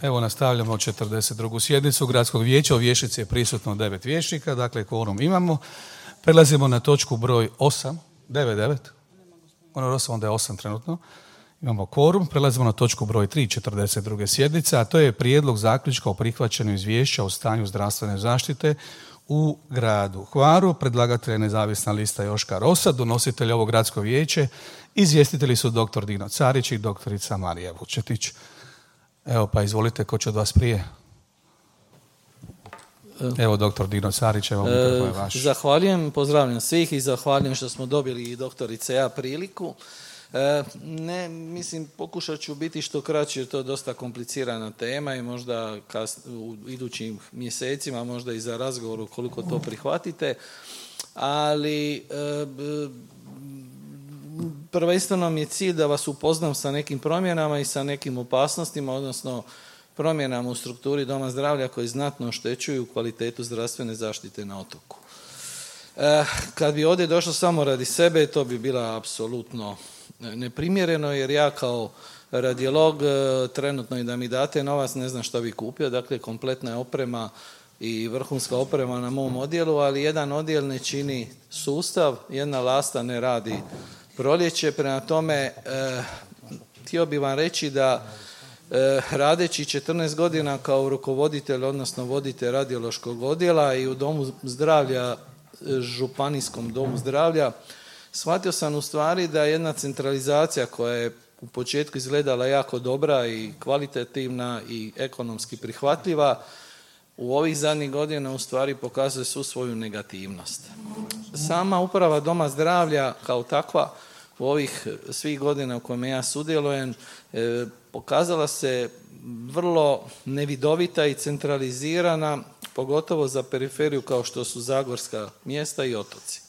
Evo nastavljamo 42. sjednicu Gradskog vijeća. U vijećnici je prisutno 9 vijećnika, dakle kvorum imamo. Prelazimo na točku broj 8, 9. Onda je 8 trenutno. Imamo kvorum. Prelazimo na točku broj 3, 42. sjednice, a to je prijedlog zaključka o prihvaćanju izvješća o stanju zdravstvene zaštite u gradu Hvaru. Predlagatelj je nezavisna lista Joška Rosa, donositelj ovo gradsko vijeće. Izvjestitelji su dr. Dino Carić i doktorica Marija Vučetić. Evo pa izvolite, ko će od vas prije? Evo dr. Dino Carić, evo mikrofon je vaš. Zahvaljujem, pozdravljam svih i zahvaljujem što smo dobili i doktorice ja priliku. Pokušat ću biti što kraći, jer to je dosta komplicirana tema i možda u idućim mjesecima, možda i za razgovor koliko to prihvatite, ali prvenstveno mi je cilj da vas upoznam sa nekim promjenama i sa nekim opasnostima, odnosno promjenama u strukturi doma zdravlja koji znatno oštećuju kvalitetu zdravstvene zaštite na otoku. Kad bi ovdje došlo samo radi sebe, to bi bila apsolutno neprimjereno, jer ja kao radiolog trenutno i da mi date novac ne znam što bi kupio, dakle kompletna je oprema i vrhunska oprema na mom odjelu, ali jedan odjel ne čini sustav, jedna lasta ne radi proljeće. Prema tome, htio bih vam reći da radeći 14 godina kao rukovoditelj, odnosno voditelj radiološkog odjela i u domu zdravlja, županijskom domu zdravlja, shvatio sam u stvari da jedna centralizacija koja je u početku izgledala jako dobra i kvalitativna i ekonomski prihvatljiva, u ovih zadnjih godina u stvari pokazuje svu svoju negativnost. Sama uprava doma zdravlja kao takva u ovih svih godina u kojima ja sudjelujem pokazala se vrlo nevidovita i centralizirana, pogotovo za periferiju kao što su zagorska mjesta i otoci.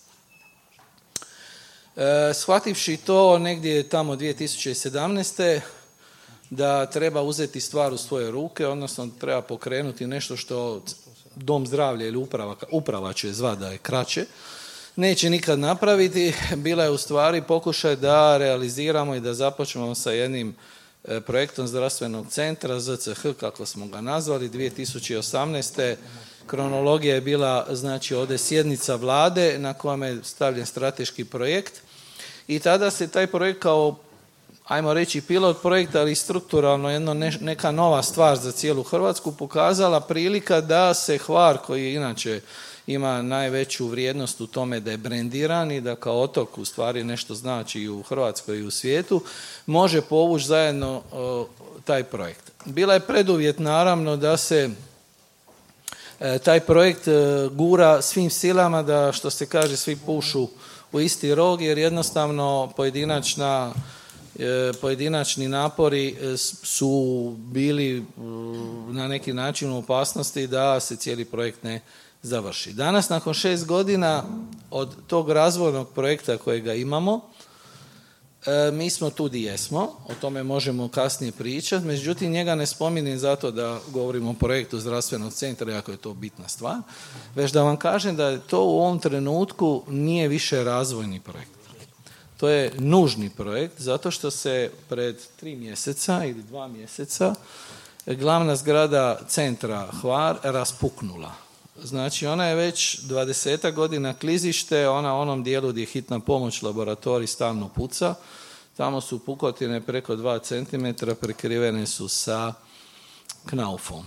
Shvativši to negdje tamo 2017. da treba uzeti stvar u svoje ruke, odnosno treba pokrenuti nešto što dom zdravlja ili uprava će zvati da je kraće, neće nikad napraviti, bila je u stvari pokušaj da realiziramo i da započnemo sa jednim projektom zdravstvenog centra, ZCH kako smo ga nazvali, 2018. Kronologija je bila, znači ovdje sjednica vlade na kojem je stavljen strateški projekt i tada se taj projekt kao, ajmo reći pilot projekt, ali strukturalno neka nova stvar za cijelu Hrvatsku pokazala prilika da se Hvar, koji inače ima najveću vrijednost u tome da je brendiran i da kao otok u stvari nešto znači i u Hrvatskoj i u svijetu, može povući zajedno taj projekt. Bila je preduvjet naravno da se taj projekt gura svim silama, da što se kaže svi pušu u isti rog, jer jednostavno pojedinačni napori su bili na neki način u opasnosti da se cijeli projekt ne završi. Danas, nakon 6 godina od tog razvojnog projekta kojega imamo, mi smo tu di jesmo, o tome možemo kasnije pričati, međutim njega ne spominjem zato da govorimo o projektu zdravstvenog centra, iako je to bitna stvar, već da vam kažem da to u ovom trenutku nije više razvojni projekt. To je nužni projekt zato što se pred 3 mjeseca ili 2 mjeseca glavna zgrada centra Hvar raspuknula. Znači ona je već 20 godina klizište, ona u onom dijelu gdje je hitna pomoć, laboratorij stalno puca, tamo su pukotine preko 2 cm, prekrivene su sa knaufom.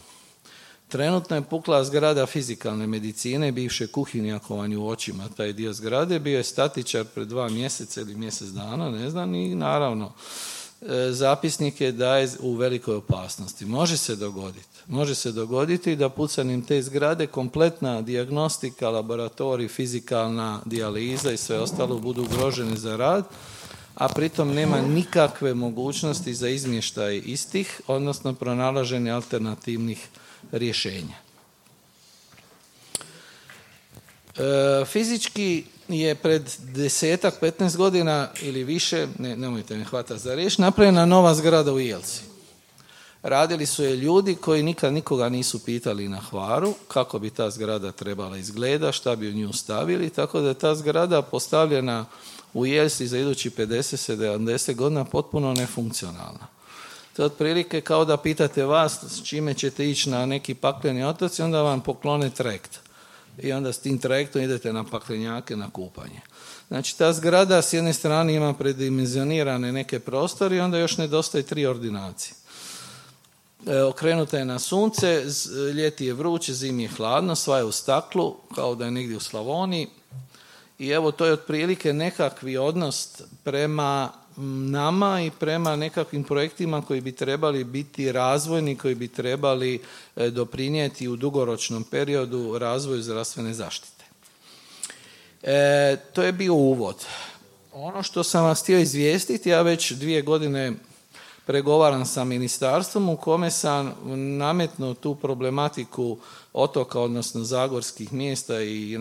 Trenutno je pukla zgrada fizikalne medicine, bivše kuhinje, ako vam je u očima taj dio zgrade, bio je statičar pred 2 mjeseca ili mjesec dana, ne znam, i naravno zapisnik je da je u velikoj opasnosti. Može se dogoditi da pucanjem te zgrade kompletna dijagnostika, laboratorij, fizikalna dijaliza i sve ostalo budu ugroženi za rad, a pritom nema nikakve mogućnosti za izmještaj istih, odnosno pronalaženje alternativnih rješenja. Fizički je pred 10-15 godina ili više, nemojte me hvatati za riječ, napravljena nova zgrada u Jelsi. Radili su je ljudi koji nikad nikoga nisu pitali na Hvaru kako bi ta zgrada trebala izgleda, šta bi u nju stavili, tako da je ta zgrada postavljena u Jelsi za idući 50-70 godina potpuno nefunkcionalna. To je otprilike kao da pitate vas s čime ćete ići na neki pakleni otoci, onda vam poklone trajekt. I onda s tim trajektom idete na paklenjake, na kupanje. Znači, ta zgrada s jedne strane ima predimenzionirane neke prostore i onda još nedostaje 3 ordinacije. Okrenuta je na sunce, ljeti je vruće, zimi je hladno, sva je u staklu, kao da je negdje u Slavoniji. I evo, to je otprilike nekakvi odnos prema nama i prema nekakvim projektima koji bi trebali biti razvojni, koji bi trebali doprinijeti u dugoročnom periodu razvoju zdravstvene zaštite. To je bio uvod. Ono što sam vas htio izvijestiti, ja već 2 godine pregovaram sa ministarstvom u kome sam nametnuo tu problematiku otoka, odnosno zagorskih mjesta i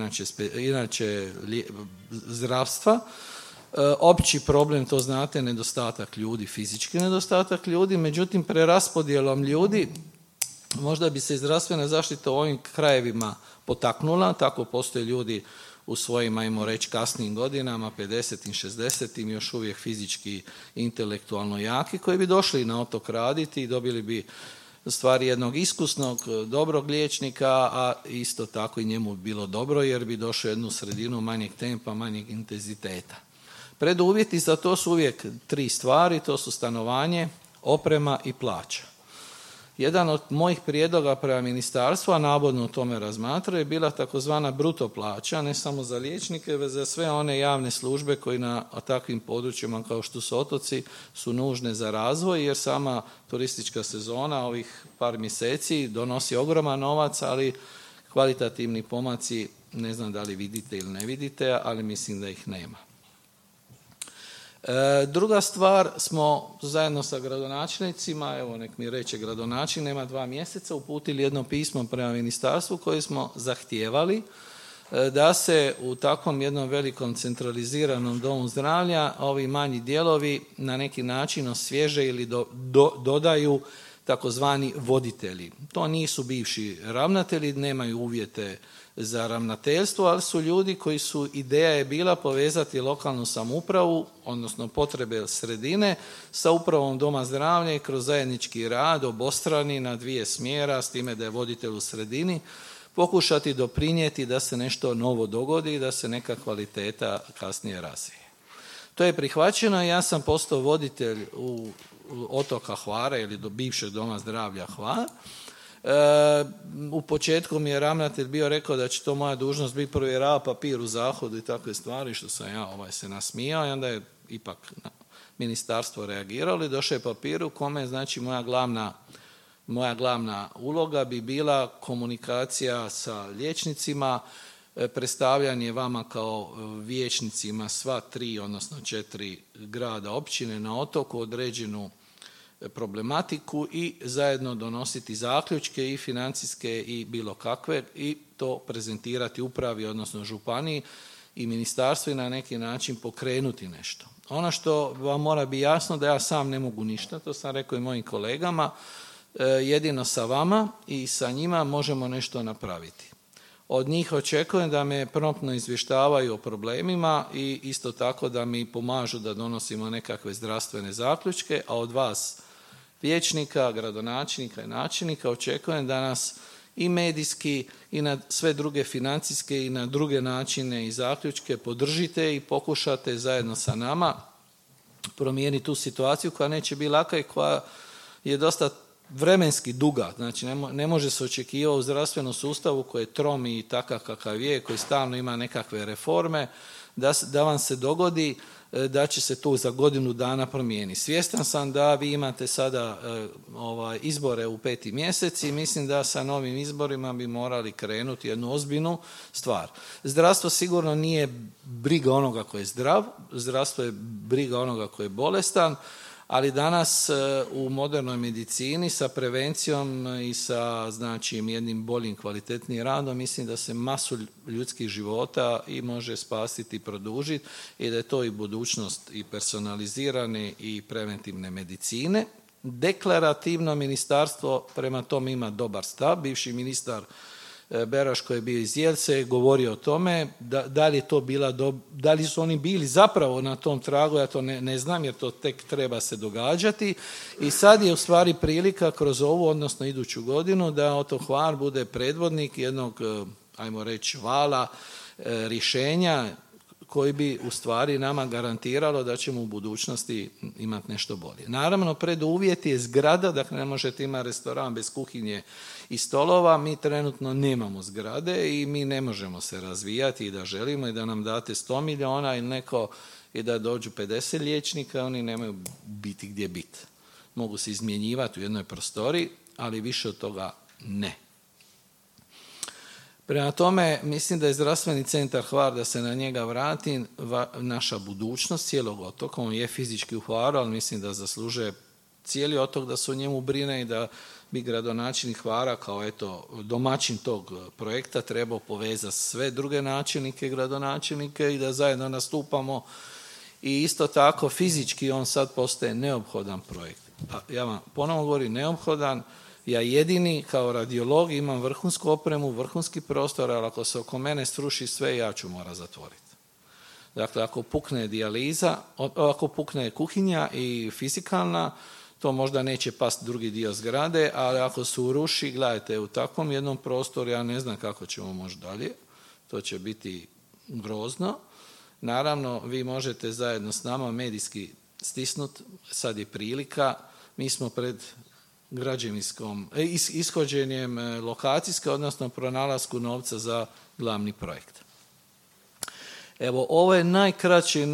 inače zdravstva. Opći problem, to znate, nedostatak ljudi, fizički nedostatak ljudi, međutim preraspodjelom ljudi možda bi se zdravstvena zaštita u ovim krajevima potaknula, tako postoje ljudi u svojim, ajmo reći, kasnijim godinama, 50-im, 60-im, još uvijek fizički, intelektualno jaki, koji bi došli na otok raditi i dobili bi stvari jednog iskusnog, dobrog liječnika, a isto tako i njemu bilo dobro jer bi došao u jednu sredinu manjeg tempa, manjeg intenziteta. Preduvjeti za to su uvijek 3 stvari, to su stanovanje, oprema i plaća. Jedan od mojih prijedloga prema ministarstvu, a navodno o tome razmatraju, je bila takozvana bruto plaća, ne samo za liječnike, već za sve one javne službe koji na takvim područjima kao što su otoci su nužne za razvoj, jer sama turistička sezona ovih par mjeseci donosi ogroman novac, ali kvalitativni pomaci, ne znam da li vidite ili ne vidite, ali mislim da ih nema. Druga stvar, smo zajedno sa gradonačelnicima, evo nek mi reče gradonačelnik, nema 2 mjeseca, uputili jedno pismo prema ministarstvu koje smo zahtijevali da se u takvom jednom velikom centraliziranom domu zdravlja ovi manji dijelovi na neki način osvježe ili dodaju takozvani voditelji. To nisu bivši ravnatelji, nemaju uvjete za ravnateljstvo, ali su ljudi koji su, ideja je bila povezati lokalnu samoupravu, odnosno potrebe sredine, sa upravom doma zdravlja i kroz zajednički rad obostrani na 2 smjera, s time da je voditelj u sredini, pokušati doprinijeti da se nešto novo dogodi i da se neka kvaliteta kasnije razvije. To je prihvaćeno i ja sam postao voditelj u otoka Hvara ili do bivšeg doma zdravlja Hvar. U početku mi je ravnatelj bio rekao da će to moja dužnost biti provjerava papir u zahodu i takve stvari, što sam ja se nasmijao i onda je ipak ministarstvo reagiralo i došao je papir u kome, znači, moja glavna uloga bi bila komunikacija sa liječnicima, predstavljanje vama kao vijećnicima sva 3, odnosno 4 grada, općine na otoku određenu problematiku i zajedno donositi zaključke i financijske i bilo kakve i to prezentirati upravi, odnosno županiji i ministarstvu i na neki način pokrenuti nešto. Ono što vam mora biti jasno da ja sam ne mogu ništa, to sam rekao i mojim kolegama, jedino sa vama i sa njima možemo nešto napraviti. Od njih očekujem da me promptno izvještavaju o problemima i isto tako da mi pomažu da donosimo nekakve zdravstvene zaključke, a od vas vijećnika, gradonačelnika i načelnika očekujem da nas i medijski i na sve druge financijske i na druge načine i zaključke podržite i pokušate zajedno sa nama promijeniti tu situaciju koja neće biti laka i koja je dosta vremenski duga. Znači ne može se očekivati u zdravstvenom sustavu koji je trom i takav kakav je, koji stalno ima nekakve reforme, da vam se dogodi da će se to za godinu dana promijeniti. Svjestan sam da vi imate sada izbore u 5. mjesec i mislim da sa novim izborima bi morali krenuti jednu ozbiljnu stvar. Zdravstvo sigurno nije briga onoga koji je zdrav, zdravstvo je briga onoga koji je bolestan, ali danas u modernoj medicini sa prevencijom i sa, znači, jednim boljim, kvalitetnijim radom mislim da se masu ljudskih života i može spasiti i produžiti i da je to i budućnost i personalizirane i preventivne medicine. Deklarativno ministarstvo prema tome ima dobar stav. Bivši ministar Beroš koji je bio iz Jelce govorio o tome, da li su oni bili zapravo na tom tragu, ja to ne znam jer to tek treba se događati i sad je u stvari prilika kroz ovu, odnosno iduću godinu da Otok Hvar bude predvodnik jednog, ajmo reći, vala rješenja koji bi u stvari nama garantiralo da ćemo u budućnosti imati nešto bolje. Naravno, preduvjet je zgrada, dakle ne možete imati restoran bez kuhinje i stolova, mi trenutno nemamo zgrade i mi ne možemo se razvijati i da želimo i da nam date 100 milijuna ili neko i da dođu 50 liječnika, oni nemaju biti gdje biti. Mogu se izmjenjivati u jednoj prostoriji, ali više od toga ne. Prema tome, mislim da je zdravstveni centar Hvar, da se na njega vrati, naša budućnost cijelog otoka. On je fizički u Hvaru, ali mislim da zaslužuje cijeli otok da se o njemu brine i da bi gradonačelnik Hvara kao domaćin tog projekta trebao povezati sve druge načelnike i gradonačelnike i da zajedno nastupamo. I isto tako fizički on sad postaje neophodan projekt. Ja vam ponovno govorim neophodan. Ja jedini kao radiolog imam vrhunsku opremu, vrhunski prostor, ali ako se oko mene sruši sve, ja ću morati zatvoriti. Dakle, ako pukne dijaliza, ako pukne kuhinja i fizikalna, to možda neće pasti drugi dio zgrade, ali ako se uruši, gledajte, u takvom jednom prostoru, ja ne znam kako ćemo moći dalje, to će biti grozno. Naravno, vi možete zajedno s nama medijski stisnuti, sad je prilika, mi smo pred ishođenjem lokacijske, odnosno pronalasku novca za glavni projekt. Evo, ovo je najkraće,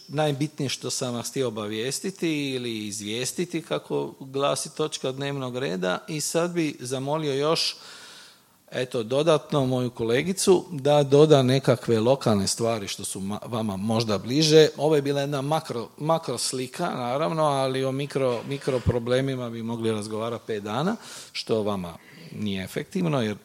najbitnije što sam vas htio obavijestiti ili izvijestiti, kako glasi točka dnevnog reda, i sad bi zamolio još dodatno moju kolegicu da doda nekakve lokalne stvari što su vama možda bliže. Ovo je bila jedna makro slika, naravno, ali o mikro problemima bi mogli razgovarati 5 dana, što vama nije efektivno, jer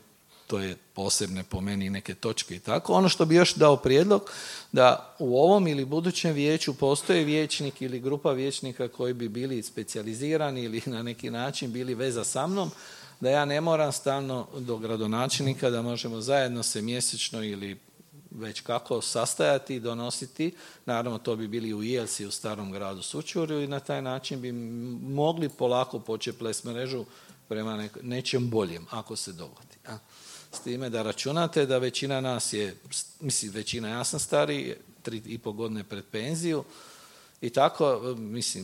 to je posebne po meni neke točke i tako. Ono što bi još dao prijedlog, da u ovom ili budućem vijeću postoji vijećnik ili grupa vijećnika koji bi bili specijalizirani ili na neki način bili veza sa mnom, da ja ne moram stalno do gradonačelnika, da možemo zajedno se mjesečno ili već kako sastajati i donositi. Naravno, to bi bili u Jelsi, u Starom gradu Sućurju, i na taj način bi mogli polako početi plest mrežu prema nečem boljem, ako se dogodi. S time da računate da većina nas je, većina, ja sam stariji, 3,5 godine pred penziju, i tako,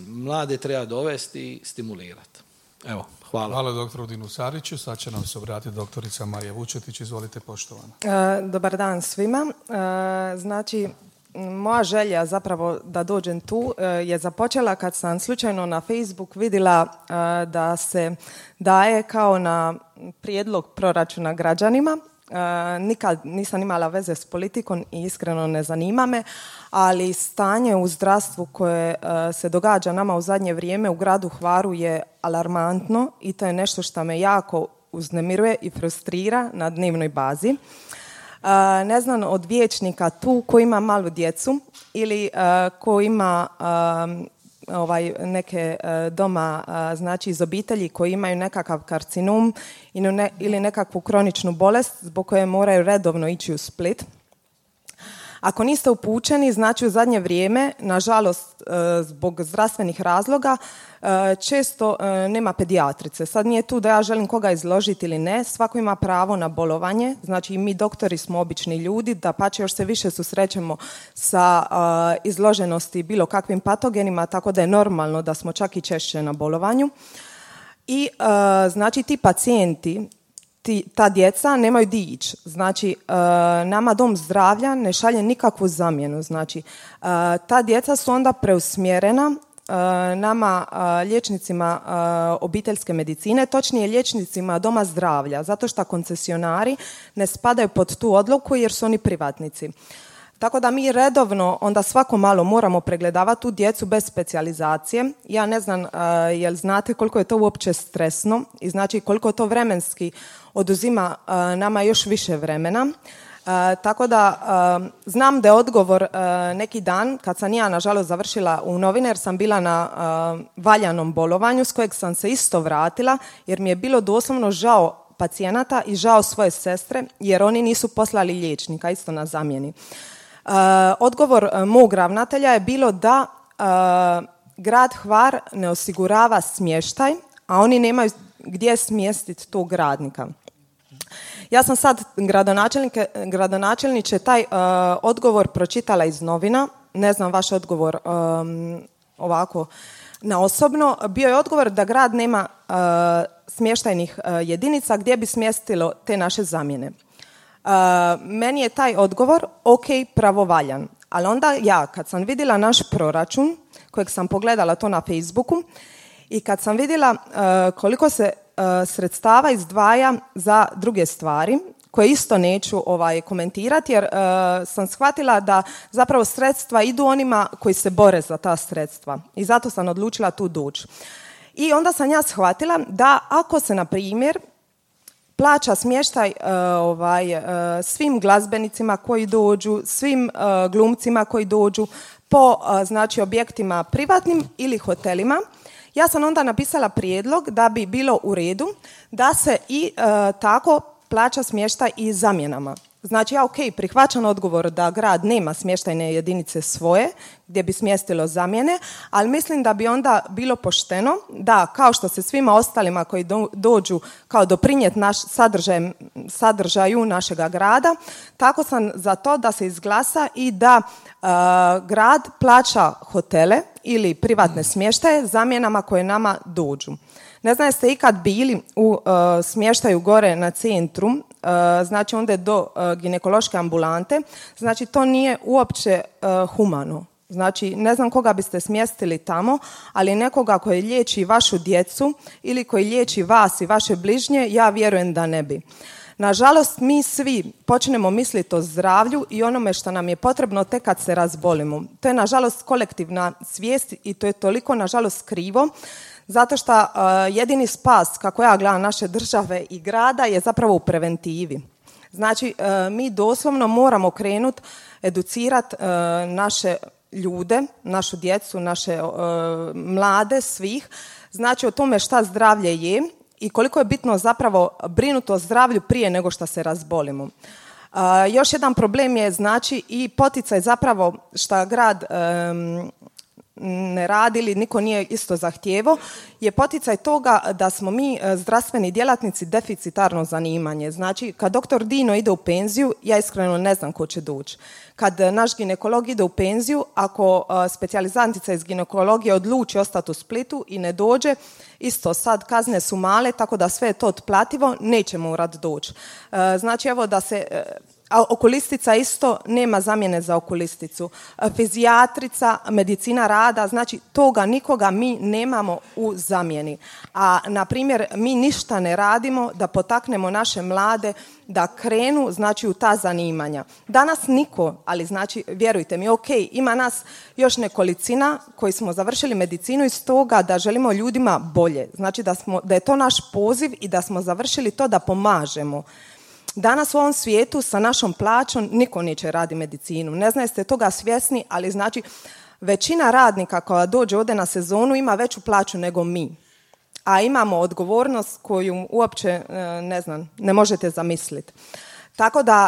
mlade treba dovesti i stimulirati. Evo, hvala. Hvala doktoru Dinu Sariću. Sad će nam se obratiti doktorica Marija Vučetić. Izvolite, poštovana. Dobar dan svima. Znači, moja želja zapravo da dođem tu je započela kad sam slučajno na Facebook vidjela da se daje kao na prijedlog proračuna građanima. Nikad nisam imala veze s politikom i iskreno ne zanima me, ali stanje u zdravstvu koje se događa nama u zadnje vrijeme u gradu Hvaru je alarmantno i to je nešto što me jako uznemiruje i frustrira na dnevnoj bazi. Ne znam od vijećnika tu ko ima malu djecu ili ko ima neke doma, znači iz obitelji koji imaju nekakav karcinom ili nekakvu kroničnu bolest zbog koje moraju redovno ići u Split. Ako niste upućeni, znači u zadnje vrijeme, nažalost, zbog zdravstvenih razloga, često nema pedijatrice. Sad nije tu da ja želim koga izložiti ili ne, svako ima pravo na bolovanje, znači mi doktori smo obični ljudi, dapače još se više susrećemo sa izloženosti bilo kakvim patogenima, tako da je normalno da smo čak i češće na bolovanju. I znači ti pacijenti, ta djeca nemaju di ići. Znači, nama dom zdravlja ne šalje nikakvu zamjenu. Znači, ta djeca su onda preusmjerena nama liječnicima obiteljske medicine, točnije liječnicima doma zdravlja, zato što koncesionari ne spadaju pod tu odluku jer su oni privatnici. Tako da mi redovno onda svako malo moramo pregledavati tu djecu bez specijalizacije. Ja ne znam jel znate koliko je to uopće stresno i znači koliko to vremenski oduzima nama još više vremena. Tako da znam da je odgovor neki dan kad sam ja nažalost završila u novine jer sam bila na valjanom bolovanju s kojeg sam se isto vratila jer mi je bilo doslovno žao pacijenata i žao svoje sestre jer oni nisu poslali liječnika isto na zamjeni. Odgovor mog ravnatelja je bilo da grad Hvar ne osigurava smještaj, a oni nemaju gdje smjestiti tog radnika. Ja sam sad gradonačelniče taj odgovor pročitala iz novina, ne znam vaš odgovor ovako na osobno. Bio je odgovor da grad nema smještajnih jedinica gdje bi smjestilo te naše zamjene. Meni je taj odgovor ok, pravovaljan, ali onda ja kad sam vidjela naš proračun, kojeg sam pogledala to na Facebooku, i kad sam vidjela koliko se sredstava izdvaja za druge stvari, koje isto neću komentirati, jer sam shvatila da zapravo sredstva idu onima koji se bore za ta sredstva. I zato sam odlučila tu doći. I onda sam ja shvatila da ako se, na primjer, plaća smještaj svim glazbenicima koji dođu, svim glumcima koji dođu po znači objektima privatnim ili hotelima, ja sam onda napisala prijedlog da bi bilo u redu da se i tako plaća smještaj i zamjenama. Znači ja prihvaćam odgovor da grad nema smještajne jedinice svoje gdje bi smjestilo zamjene, ali mislim da bi onda bilo pošteno da kao što se svima ostalima koji dođu kao doprinijeti sadržaju našega grada, tako sam za to da se izglasa i da grad plaća hotele ili privatne smještaje zamjenama koje nama dođu. Ne znam jeste ikad bili u smještaju gore na centru, znači onda je do ginekološke ambulante, znači to nije uopće humano. Znači ne znam koga biste smjestili tamo, ali nekoga koji liječi vašu djecu ili koji liječi vas i vaše bližnje, ja vjerujem da ne bi. Nažalost, mi svi počnemo misliti o zdravlju i onome što nam je potrebno tek kad se razbolimo. To je nažalost kolektivna svijest i to je toliko nažalost krivo, zato što jedini spas, kako ja gledam, naše države i grada je zapravo u preventivi. Znači, mi doslovno moramo krenuti educirati naše ljude, našu djecu, naše mlade, svih, znači o tome šta zdravlje je i koliko je bitno zapravo brinuti o zdravlju prije nego što se razbolimo. Još jedan problem je znači i poticaj zapravo što grad ne radi ili niko nije isto zahtijevao, je poticaj toga da smo mi zdravstveni djelatnici deficitarno zanimanje. Znači, kad doktor Dino ide u penziju, ja iskreno ne znam ko će doći. Kad naš ginekolog ide u penziju, ako specijalizantica iz ginekologije odluči ostati u Splitu i ne dođe, isto sad kazne su male, tako da sve je to otplativo, neće morat doći. Znači, evo da se... A okulistica isto nema zamjene za okulisticu. Fizijatrica, medicina rada, znači toga nikoga mi nemamo u zamjeni. A, na primjer, mi ništa ne radimo da potaknemo naše mlade da krenu, znači, u ta zanimanja. Danas niko, ali znači, vjerujte mi, ima nas još nekolicina koji smo završili medicinu iz toga da želimo ljudima bolje. Znači da je to naš poziv i da smo završili to da pomažemo. Danas u ovom svijetu sa našom plaćom niko neće raditi medicinu. Ne znam jeste toga svjesni, ali znači većina radnika koja dođe ovdje na sezonu ima veću plaću nego mi. A imamo odgovornost koju uopće ne možete zamisliti. Tako da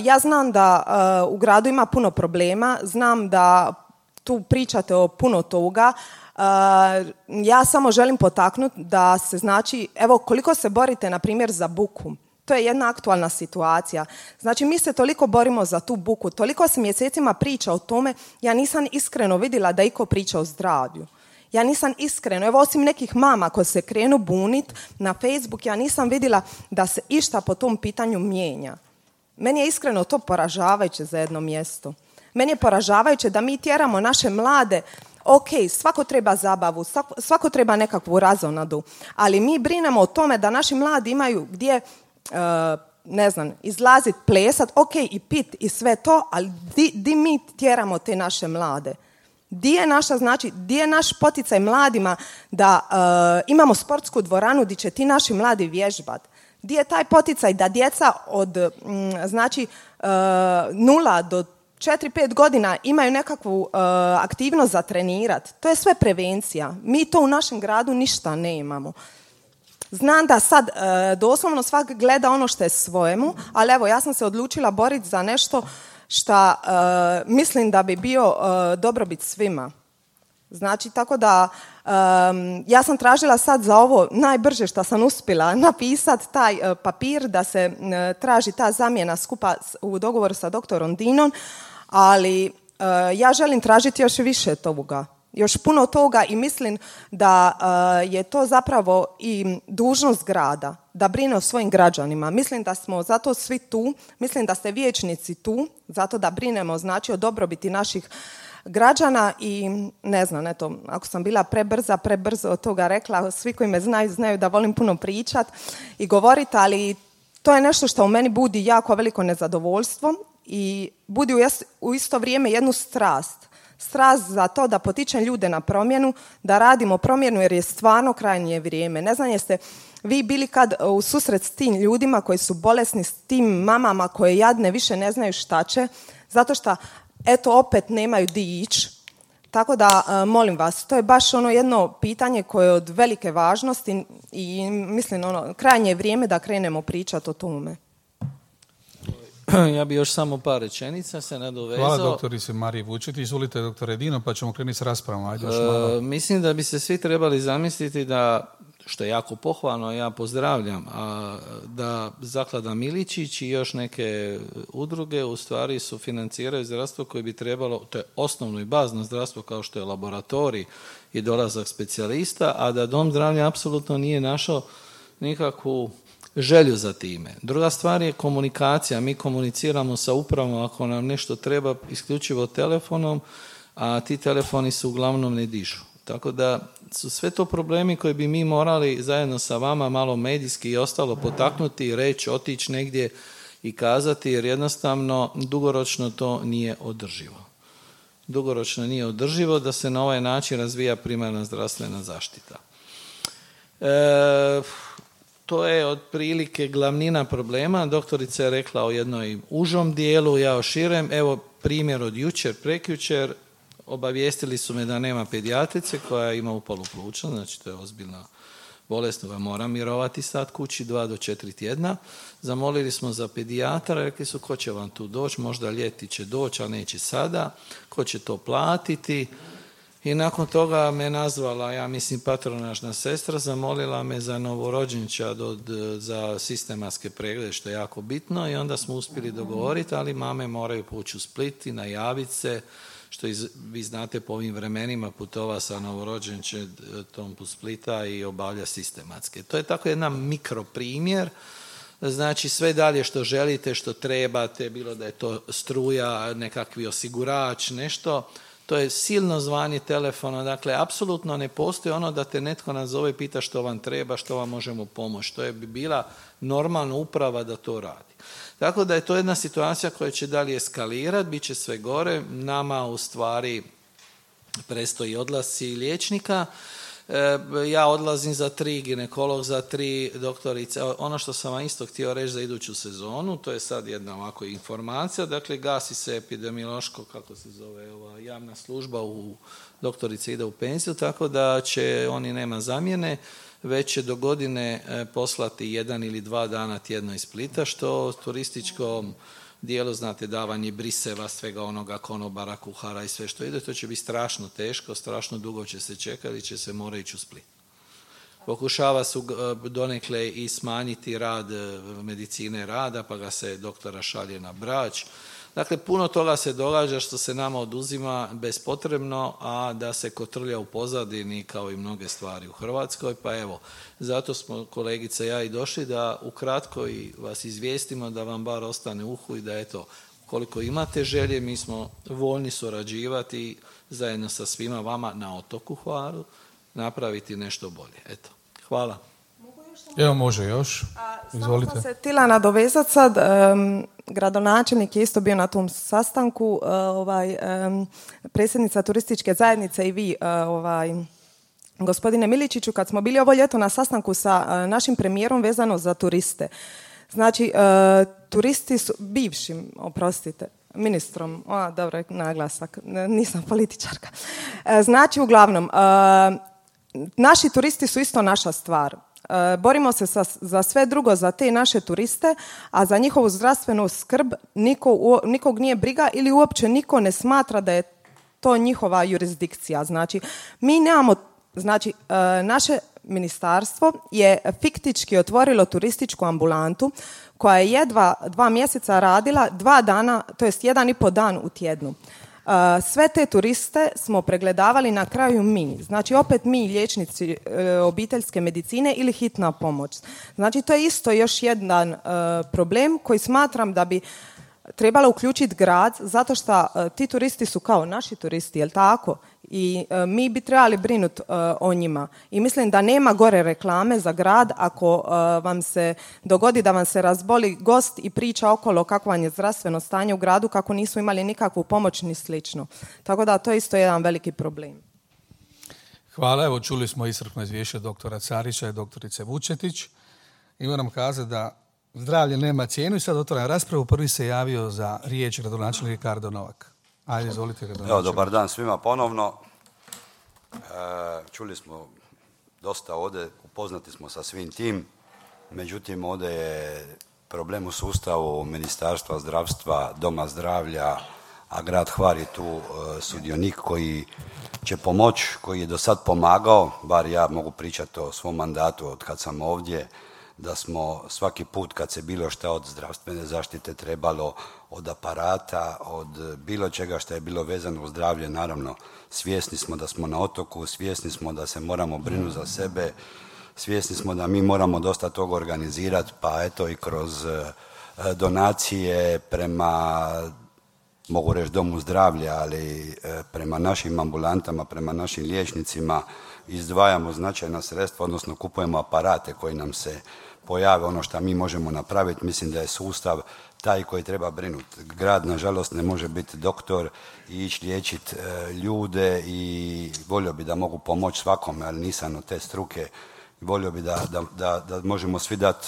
ja znam da u gradu ima puno problema, znam da tu pričate o puno toga. Ja samo želim potaknuti da se znači, evo koliko se borite na primjer za buku. To je jedna aktualna situacija. Znači, mi se toliko borimo za tu buku, toliko se mjesecima priča o tome, ja nisam iskreno vidjela da iko priča o zdravlju. Ja nisam iskreno, evo osim nekih mama koje se krenu bunit na Facebook, ja nisam vidjela da se išta po tom pitanju mijenja. Meni je iskreno to poražavajuće za jedno mjesto. Meni je poražavajuće da mi tjeramo naše mlade, svako treba zabavu, svako treba nekakvu razonadu, ali mi brinemo o tome da naši mladi imaju gdje izlazit, plesat, i pit i sve to, ali di mi tjeramo te naše mlade? Di je naš poticaj mladima da imamo sportsku dvoranu gdje će ti naši mladi vježbat? Di je taj poticaj da djeca od 0 do 4-5 godina imaju nekakvu aktivnost za trenirat? To je sve prevencija. Mi to u našem gradu ništa ne imamo. Znam da sad doslovno svak gleda ono što je svojemu, ali evo, ja sam se odlučila boriti za nešto što mislim da bi bio dobrobit svima. Znači, tako da ja sam tražila sad za ovo najbrže što sam uspjela napisati taj papir da se traži ta zamjena skupa u dogovoru sa doktorom Dinom, ali ja želim tražiti još više toga. Još puno toga i mislim da je to zapravo i dužnost grada da brine o svojim građanima. Mislim da smo zato svi tu, mislim da ste vijećnici tu, zato da brinemo znači o dobrobiti naših građana i ne znam, eto, ako sam bila prebrzo od toga rekla, svi koji me znaju da volim puno pričat i govoriti, ali to je nešto što u meni budi jako veliko nezadovoljstvo i budi u isto vrijeme jednu strast za to da potičem ljude na promjenu, da radimo promjenu jer je stvarno krajnje vrijeme. Ne znam jeste vi bili kad u susret s tim ljudima koji su bolesni, s tim mamama koje jadne više ne znaju šta će, zato što eto opet nemaju di ići. Tako da molim vas, to je baš ono jedno pitanje koje je od velike važnosti i mislim krajnje vrijeme da krenemo pričati o tome. Ja bi još samo par rečenica se nadovezao. Hvala doktorice Mariji Vučetić. Izvolite doktore Dino, pa ćemo krenuti s raspravom. Ajde još malo. Mislim da bi se svi trebali zamisliti da, što je jako pohvalno, ja pozdravljam, da Zaklada Miličić i još neke udruge u stvari sufinanciraju zdravstvo koje bi trebalo, to je osnovno i bazno zdravstvo kao što je laboratorij i dolazak specijalista, a da Dom zdravlja apsolutno nije našao nikakvu želju za time. Druga stvar je komunikacija. Mi komuniciramo sa upravom ako nam nešto treba isključivo telefonom, a ti telefoni su uglavnom ne dižu. Tako da su sve to problemi koje bi mi morali zajedno sa vama malo medijski i ostalo potaknuti, reći, otići negdje i kazati, jer jednostavno dugoročno to nije održivo. Dugoročno nije održivo da se na ovaj način razvija primarna zdravstvena zaštita. To je otprilike glavnina problema. Doktorica je rekla o jednoj užom dijelu, ja o širem. Evo primjer od jučer, prekjučer. Obavijestili su me da nema pedijatrice koja ima upalu pluća, znači to je ozbiljna bolest, koja mora mirovati sad kući 2 do 4 tjedna. Zamolili smo za pedijatra, rekli su ko će vam tu doći, možda ljeti će doći, a neće sada, ko će to platiti. I nakon toga me nazvala, ja mislim patronažna sestra, zamolila me za novorođenčad za sistematske preglede, što je jako bitno, i onda smo uspjeli dogovoriti, ali mame moraju poći u Split i najaviti se, što vi znate po ovim vremenima putova sa novorođenčetom u Splita i obavlja sistematske. To je tako jedan mikroprimjer, znači sve dalje što želite, što trebate, bilo da je to struja, nekakvi osigurač, nešto, to je silno zvanje telefona, dakle, apsolutno ne postoji ono da te netko nazove i pita što vam treba, što vam možemo pomoći. To je bi bila normalna uprava da to radi. Tako da je to jedna situacija koja će dalje eskalirati, bit će sve gore. Nama u stvari predstoji odlasci liječnika. Ja odlazim za 3, ginekolog za 3, doktorice. Ono što sam vam isto htio reći za iduću sezonu, to je sad jedna ovako informacija, dakle gasi se epidemiološko, kako se zove, ova javna služba, doktorica ide u penziju, tako da će oni nema zamjene, već će do godine poslati 1 ili 2 dana tjedno iz Splita, što turističkom dijelu, znate, davanje briseva, svega onoga, konobara, kuhara i sve što ide, to će biti strašno teško, strašno dugo će se čekati i će se mora ići u Split. Pokušava se donekle i smanjiti rad medicine rada, pa ga se doktora šalje na Brač. Dakle, puno toga se događa što se nama oduzima bespotrebno, a da se kotrlja u pozadini kao i mnoge stvari u Hrvatskoj. Pa evo, zato smo kolegica i ja i došli da ukratko i vas izvijestimo da vam bar ostane uhu i da eto, koliko imate želje, mi smo voljni surađivati zajedno sa svima vama na otoku Hvaru, napraviti nešto bolje. Eto, hvala. Evo može još. Izvolite. Samo sam se htjela nadovezati sad. Gradonačelnik je isto bio na tom sastanku, predsjednica turističke zajednice i vi, gospodine Miličiću, kad smo bili ovo ljeto na sastanku sa našim premijerom vezano za turiste. Znači, turisti su, bivšim, oprostite, ministrom, dobro je naglasak, nisam političarka. Znači, uglavnom, naši turisti su isto naša stvar. Borimo se za sve drugo, za te naše turiste, a za njihovu zdravstvenu skrb nikog nije briga ili uopće niko ne smatra da je to njihova jurisdikcija. Znači, mi nemamo, znači, naše ministarstvo je fiktički otvorilo turističku ambulantu koja je jedva 2 mjeseca radila 2 dana, to jest 1,5 dan u tjednu. Sve te turiste smo pregledavali na kraju mi. Znači, opet mi, liječnici obiteljske medicine ili hitna pomoć. Znači, to je isto još jedan problem koji smatram da bi trebalo uključiti grad, zato što ti turisti su kao naši turisti, jel tako? I mi bi trebali brinuti o njima. I mislim da nema gore reklame za grad ako vam se dogodi da vam se razboli gost i priča okolo kakvo vam je zdravstveno stanje u gradu, kako nisu imali nikakvu pomoć ni slično. Tako da to je isto jedan veliki problem. Hvala, evo čuli smo iscrpno izvješće doktora Carića i doktorice Vučetić. I moram kazati da zdravlje nema cijenu i sad otvaram raspravu. Prvi se javio za riječ gradonačelnik Ricardo Novak. Ajde, izvolite. Evo, dobar dan svima ponovno. Čuli smo dosta ovdje, upoznati smo sa svim tim. Međutim, ovdje je problem u sustavu Ministarstva zdravstva, Doma zdravlja, a grad Hvar je tu sudionik koji će pomoći, koji je do sad pomagao, bar ja mogu pričati o svom mandatu od kad sam ovdje, da smo svaki put kad se bilo šta od zdravstvene zaštite trebalo, od aparata, od bilo čega što je bilo vezano uz zdravlje, naravno svjesni smo da smo na otoku, svjesni smo da se moramo brinuti za sebe, svjesni smo da mi moramo dosta toga organizirati, pa eto i kroz donacije prema, mogu reći, Domu zdravlja, ali prema našim ambulantama, prema našim liječnicima izdvajamo značajna sredstva, odnosno kupujemo aparate koji nam se pojave, ono što mi možemo napraviti. Mislim da je sustav taj koji treba brinuti. Grad, nažalost, ne može biti doktor i ići liječiti ljude i volio bi da mogu pomoći svakome, ali nisam od te struke. Volio bi da možemo svi dati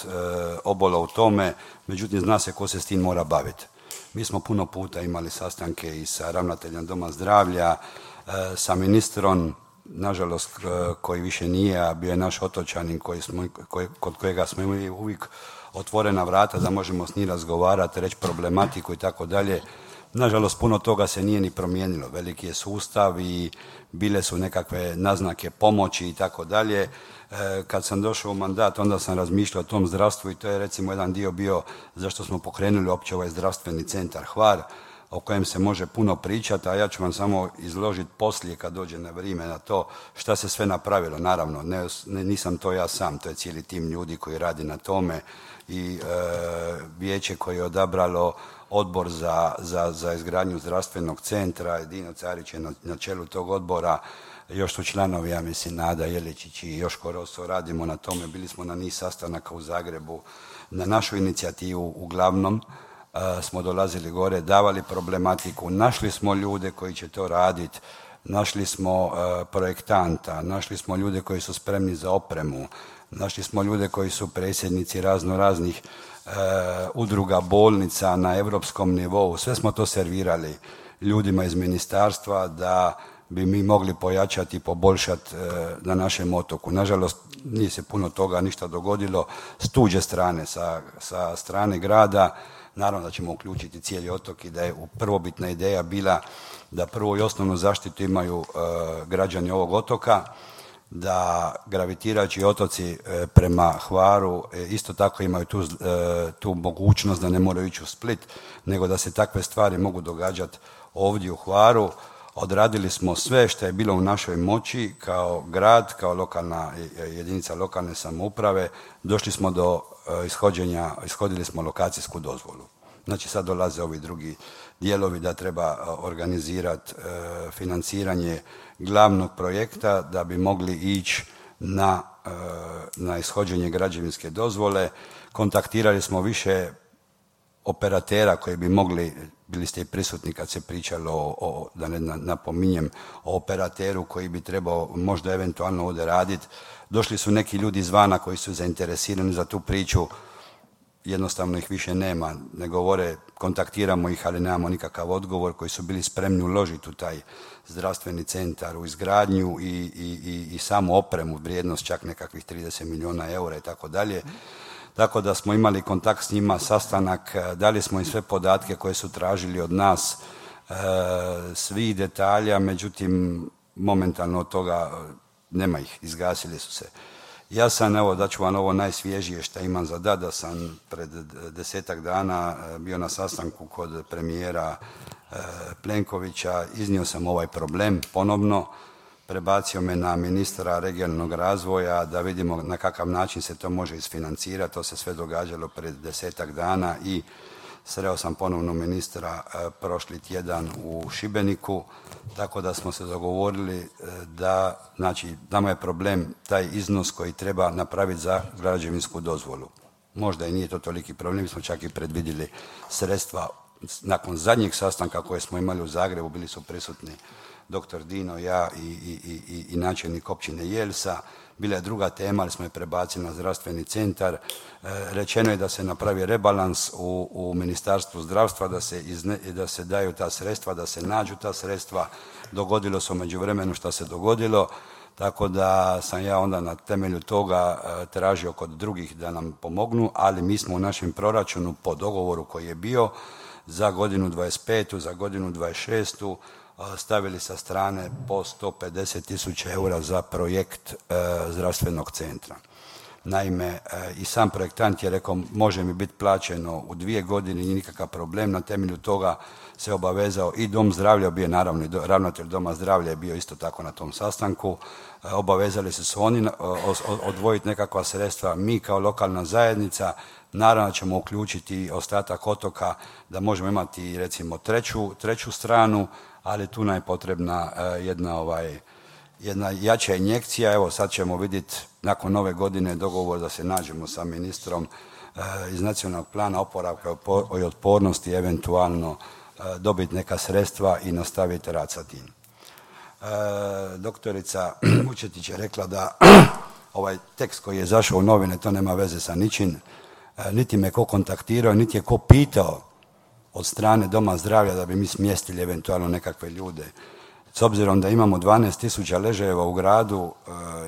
obolo u tome, međutim zna se ko se s tim mora baviti. Mi smo puno puta imali sastanke i sa ravnateljem Doma zdravlja, sa ministrom, nažalost koji više nije, a bio je naš otočanin kod kojega smo imali uvijek otvorena vrata da možemo s njim razgovarati, reći problematiku i tako dalje. Nažalost, puno toga se nije ni promijenilo. Veliki je sustav i bile su nekakve naznake pomoći i tako dalje. Kad sam došao u mandat, onda sam razmišljao o tom zdravstvu i to je recimo jedan dio bio zašto smo pokrenuli uopće ovaj zdravstveni centar Hvar, o kojem se može puno pričati, a ja ću vam samo izložiti poslije kad dođe na vrijeme na to šta se sve napravilo. Naravno, nisam to ja sam, to je cijeli tim ljudi koji radi na tome i vijeće koje je odabralo odbor za izgradnju zdravstvenog centra, Dino Carić je na čelu tog odbora, još su članovi, ja mislim, Nada Jeličić i Joško Roso, radimo na tome, bili smo na niz sastanaka u Zagrebu, na našu inicijativu uglavnom smo dolazili gore, davali problematiku, našli smo ljude koji će to raditi, našli smo projektanta, našli smo ljude koji su spremni za opremu, našli smo ljude koji su predsjednici raznih udruga bolnica na europskom nivou, sve smo to servirali ljudima iz ministarstva da bi mi mogli pojačati i poboljšati na našem otoku. Nažalost, nije se puno toga ništa dogodilo s tuđe strane, sa strane grada. Naravno da ćemo uključiti cijeli otok i da je prvobitna ideja bila da prvo i osnovnu zaštitu imaju građani ovog otoka, da gravitirajući otoci prema Hvaru isto tako imaju tu mogućnost da ne moraju ići u Split, nego da se takve stvari mogu događati ovdje u Hvaru. Odradili smo sve što je bilo u našoj moći kao grad, kao lokalna jedinica lokalne samouprave. Došli smo do ishodili smo lokacijsku dozvolu. Znači sad dolaze ovi drugi dijelovi da treba organizirati financiranje glavnog projekta da bi mogli ići na ishođenje građevinske dozvole. Kontaktirali smo više operatera koji bi mogli, bili ste i prisutni kad se pričalo da ne napominjem, o operateru koji bi trebao možda eventualno ovdje raditi. Došli su neki ljudi izvana koji su zainteresirani za tu priču. jednostavno ih više nema, ne govore, kontaktiramo ih, ali nemamo nikakav odgovor, koji su bili spremni uložiti u taj zdravstveni centar, u izgradnju i samu opremu, vrijednost čak nekakvih 30 milijuna eura i tako dalje. Tako da smo imali kontakt s njima, sastanak, dali smo im sve podatke koje su tražili od nas, svih detalja, međutim, momentalno od toga nema ih, izgasili su se. Ja sam, evo, daću vam ovo najsvježije što imam za da sam pred 10-ak dana bio na sastanku kod premijera Plenkovića, iznio sam ovaj problem ponovno, prebacio me na ministra regionalnog razvoja da vidimo na kakav način se to može isfinancirati. To se sve događalo pred 10-ak dana i sreo sam ponovno ministra prošli tjedan u Šibeniku, tako da smo se dogovorili da, znači, nama je problem taj iznos koji treba napraviti za građevinsku dozvolu. Možda i nije to toliki problem, mi smo čak i predvidjeli sredstva. Nakon zadnjeg sastanka koje smo imali u Zagrebu, bili su prisutni dr. Dino, ja i načelnik općine Jelsa. Bila je druga tema, ali smo je prebacili na zdravstveni centar. Rečeno je da se napravi rebalans u Ministarstvu zdravstva, da se daju ta sredstva, da se nađu ta sredstva. Dogodilo se u međuvremenu što se dogodilo, tako da sam ja onda na temelju toga tražio kod drugih da nam pomognu, ali mi smo u našem proračunu po dogovoru koji je bio za godinu 25. za godinu 26. stavili sa strane po 150.000 eura za projekt zdravstvenog centra. Naime, i sam projektant je rekao može mi biti plaćeno u 2 godine, nije nikakav problem, na temelju toga se obavezao i Dom zdravlja, bio je naravno i ravnatelj Doma zdravlja je bio isto tako na tom sastanku, obavezali su se oni odvojiti nekakva sredstva, mi kao lokalna zajednica, naravno ćemo uključiti ostatak otoka da možemo imati recimo treću stranu, ali tu nam je potrebna jedna jača injekcija. Evo sad ćemo vidjeti nakon nove godine dogovor da se nađemo sa ministrom iz nacionalnog plana oporavka i otpornosti, eventualno dobiti neka sredstva i nastaviti rad sa tim. Doktorica Vučetić je rekla da ovaj tekst koji je zašao u novine, to nema veze sa ničim, niti me ko kontaktirao, niti je ko pitao od strane Doma zdravlja da bi mi smjestili eventualno nekakve ljude. S obzirom da imamo 12.000 ležajeva u gradu,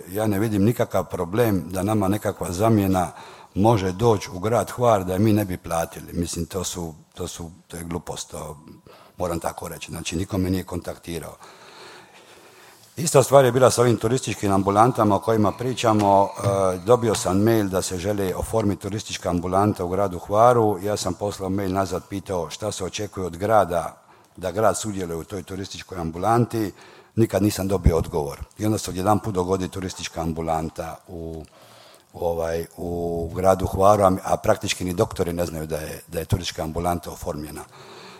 ja ne vidim nikakav problem da nama nekakva zamjena može doći u grad Hvar da je mi ne bi platili. Mislim, to je glupost, to moram tako reći. Znači, niko me nije kontaktirao. Ista stvar je bila sa ovim turističkim ambulantama o kojima pričamo. Dobio sam mail da se želi oformiti turistička ambulanta u gradu Hvaru. Ja sam poslao mail nazad, pitao šta se očekuje od grada, da grad sudjeluje u toj turističkoj ambulanti. Nikad nisam dobio odgovor. I onda se odjedanput dogodi turistička ambulanta u gradu Hvaru, a praktički ni doktori ne znaju da je turistička ambulanta oformljena.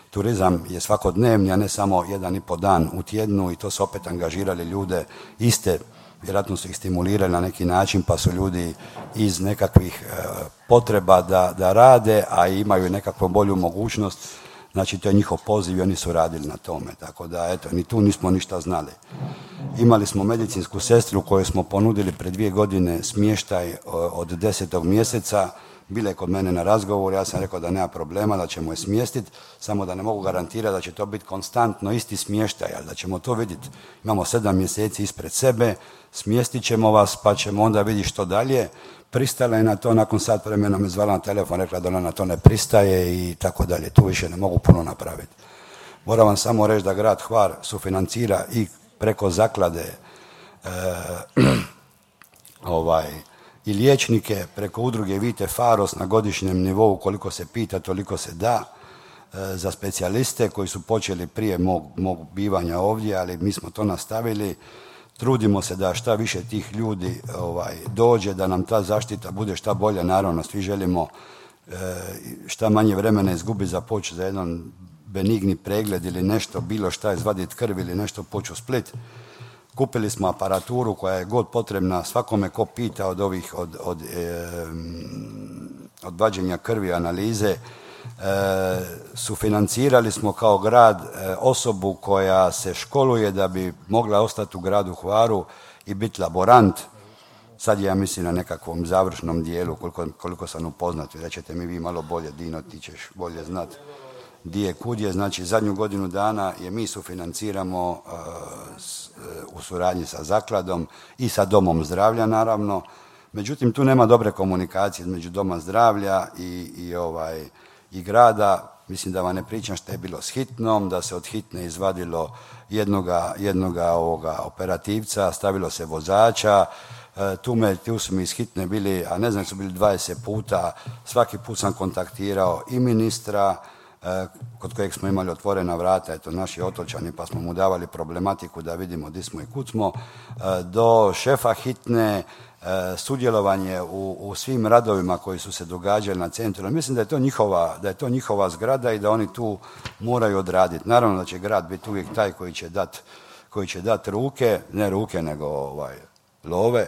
Turizam je svakodnevni, a ne samo 1,5 dan u tjednu i to su opet angažirali ljude iste, vjerojatno su ih stimulirali na neki način, pa su ljudi iz nekakvih potreba da rade, a imaju nekakvu bolju mogućnost. Znači, to je njihov poziv i oni su radili na tome. Tako da, eto, ni tu nismo ništa znali. Imali smo medicinsku sestru koju smo ponudili pred 2 godine smještaj od 10. mjeseca. Bila je kod mene na razgovor, ja sam rekao da nema problema, da ćemo je smjestiti, samo da ne mogu garantirati da će to biti konstantno isti smještaj, ali da ćemo to vidjeti. Imamo 7 mjeseci ispred sebe, smjestit ćemo vas, pa ćemo onda vidjeti što dalje. Pristala je na to, nakon sat vremena me zvala na telefon, rekla da ona na to ne pristaje i tako dalje. Tu više ne mogu puno napraviti. Moram vam samo reći da grad Hvar sufinancira i preko zaklade i liječnike, preko udruge Vite Faros na godišnjem nivou, koliko se pita, toliko se da, za specijaliste koji su počeli prije mog bivanja ovdje, ali mi smo to nastavili. Trudimo se da šta više tih ljudi dođe, da nam ta zaštita bude šta bolja. Naravno, svi želimo šta manje vremena izgubiti za poći za jedan benigni pregled ili nešto, bilo šta, izvaditi krv ili nešto, poći u Split. Kupili smo aparaturu koja je god potrebna svakome ko pita od vađenja krvi, analize. Sufinancirali smo kao grad osobu koja se školuje da bi mogla ostati u gradu Hvaru i biti laborant. Sad ja mislim na nekakvom završnom dijelu, koliko sam upoznat, rećete mi vi malo bolje, Dino, ti ćeš bolje znat di je kud je. Znači, zadnju godinu dana je mi sufinanciramo u suradnji sa zakladom i sa domom zdravlja, naravno. Međutim, tu nema dobre komunikacije između doma zdravlja i grada. Mislim da vam ne pričam što je bilo s hitnom, da se od hitne izvadilo jednoga operativca, stavilo se vozača, tu su mi iz hitne bili, a ne znam, su bili 20 puta, svaki put sam kontaktirao i ministra, kod kojeg smo imali otvorena vrata, eto naši otočani, pa smo mu davali problematiku da vidimo di smo i kud smo, do šefa hitne, sudjelovanje u svim radovima koji su se događali na centru. Mislim da je to njihova zgrada i da oni tu moraju odraditi. Naravno da će grad biti uvijek taj koji će dati ruke, ne ruke nego love,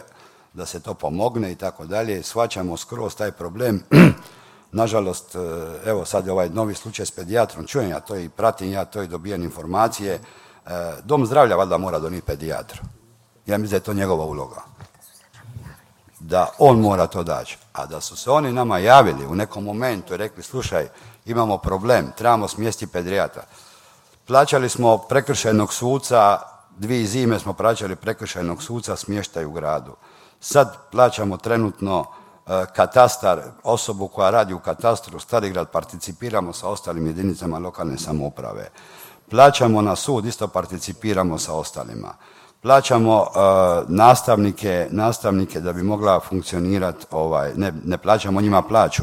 da se to pomogne i tako dalje. Shvaćamo skroz taj problem. Nažalost, evo sad je ovaj novi slučaj s pedijatrom, čujem ja to i pratim ja to i dobijem informacije. Dom zdravlja valjda mora donijeti pedijatra. Ja mislim da je to njegova uloga. Da on mora to daći. A da su se oni nama javili u nekom momentu i rekli, slušaj, imamo problem, trebamo smjestiti pedijatra. Plaćali smo prekršajnog suca, 2 zime smo plaćali prekršajnog suca smještaj u gradu. Sad plaćamo trenutno katastar, osobu koja radi u katastru, Starigrad, participiramo sa ostalim jedinicama lokalne samouprave. Plaćamo na sud, isto participiramo sa ostalima. Plaćamo nastavnike da bi mogla funkcionirati, ne plaćamo njima plaću,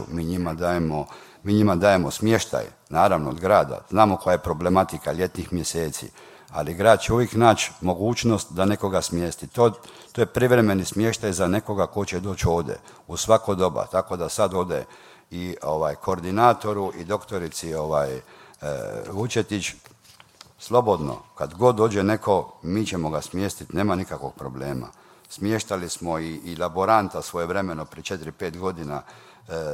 mi njima dajemo smještaj, naravno od grada. Znamo koja je problematika ljetnih mjeseci, ali grad će uvijek naći mogućnost da nekoga smjesti. To je privremeni smještaj za nekoga ko će doći ovdje u svako doba, tako da sad ode i koordinatoru i doktorici Vučetić, slobodno, kad god dođe neko, mi ćemo ga smjestiti, nema nikakvog problema. Smještali smo i laboranta svojevremeno, prije 4-5 godina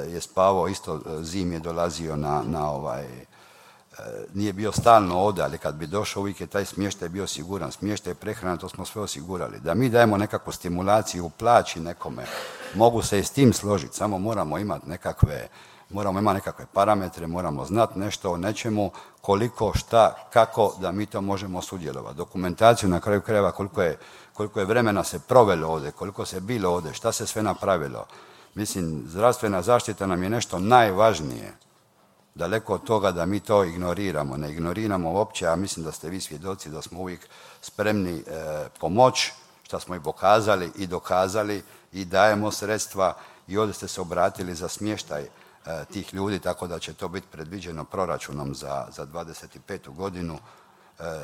je spavao, isto zim je dolazio nije bio stalno ovdje, ali kad bi došao uvijek je taj smještaj bio siguran. Smještaj, prehrana, to smo sve osigurali. Da mi dajemo nekakvu stimulaciju u plaći nekome, mogu se i s tim složiti, samo moramo imati nekakve parametre, moramo znati nešto o nečemu, koliko, šta, kako, da mi to možemo sudjelovati. Dokumentaciju na kraju krajeva, koliko je vremena se provelo ovdje, koliko se bilo ovdje, šta se sve napravilo. Mislim, zdravstvena zaštita nam je nešto najvažnije. Daleko od toga da mi to ignoriramo. Ne ignoriramo uopće, a mislim da ste vi svjedoci da smo uvijek spremni pomoći, što smo i pokazali i dokazali i dajemo sredstva i ovdje ste se obratili za smještaj tih ljudi, tako da će to biti predviđeno proračunom za 25. godinu.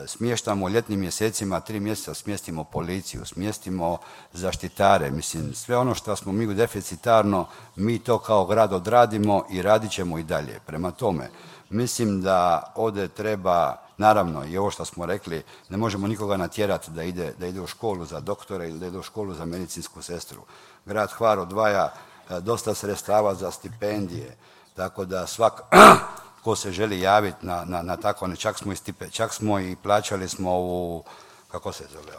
Smještamo u ljetnim mjesecima, 3 mjeseca smjestimo policiju, smjestimo zaštitare. Mislim, sve ono što smo mi deficitarno, mi to kao grad odradimo i radit ćemo i dalje. Prema tome, mislim da ovdje treba, naravno i ovo što smo rekli, ne možemo nikoga natjerati da ide u školu za doktore ili da ide u školu za medicinsku sestru. Grad Hvar odvaja dosta sredstava za stipendije, tako da ko se želi javiti na tako, čak smo i plaćali smo u, kako se zove,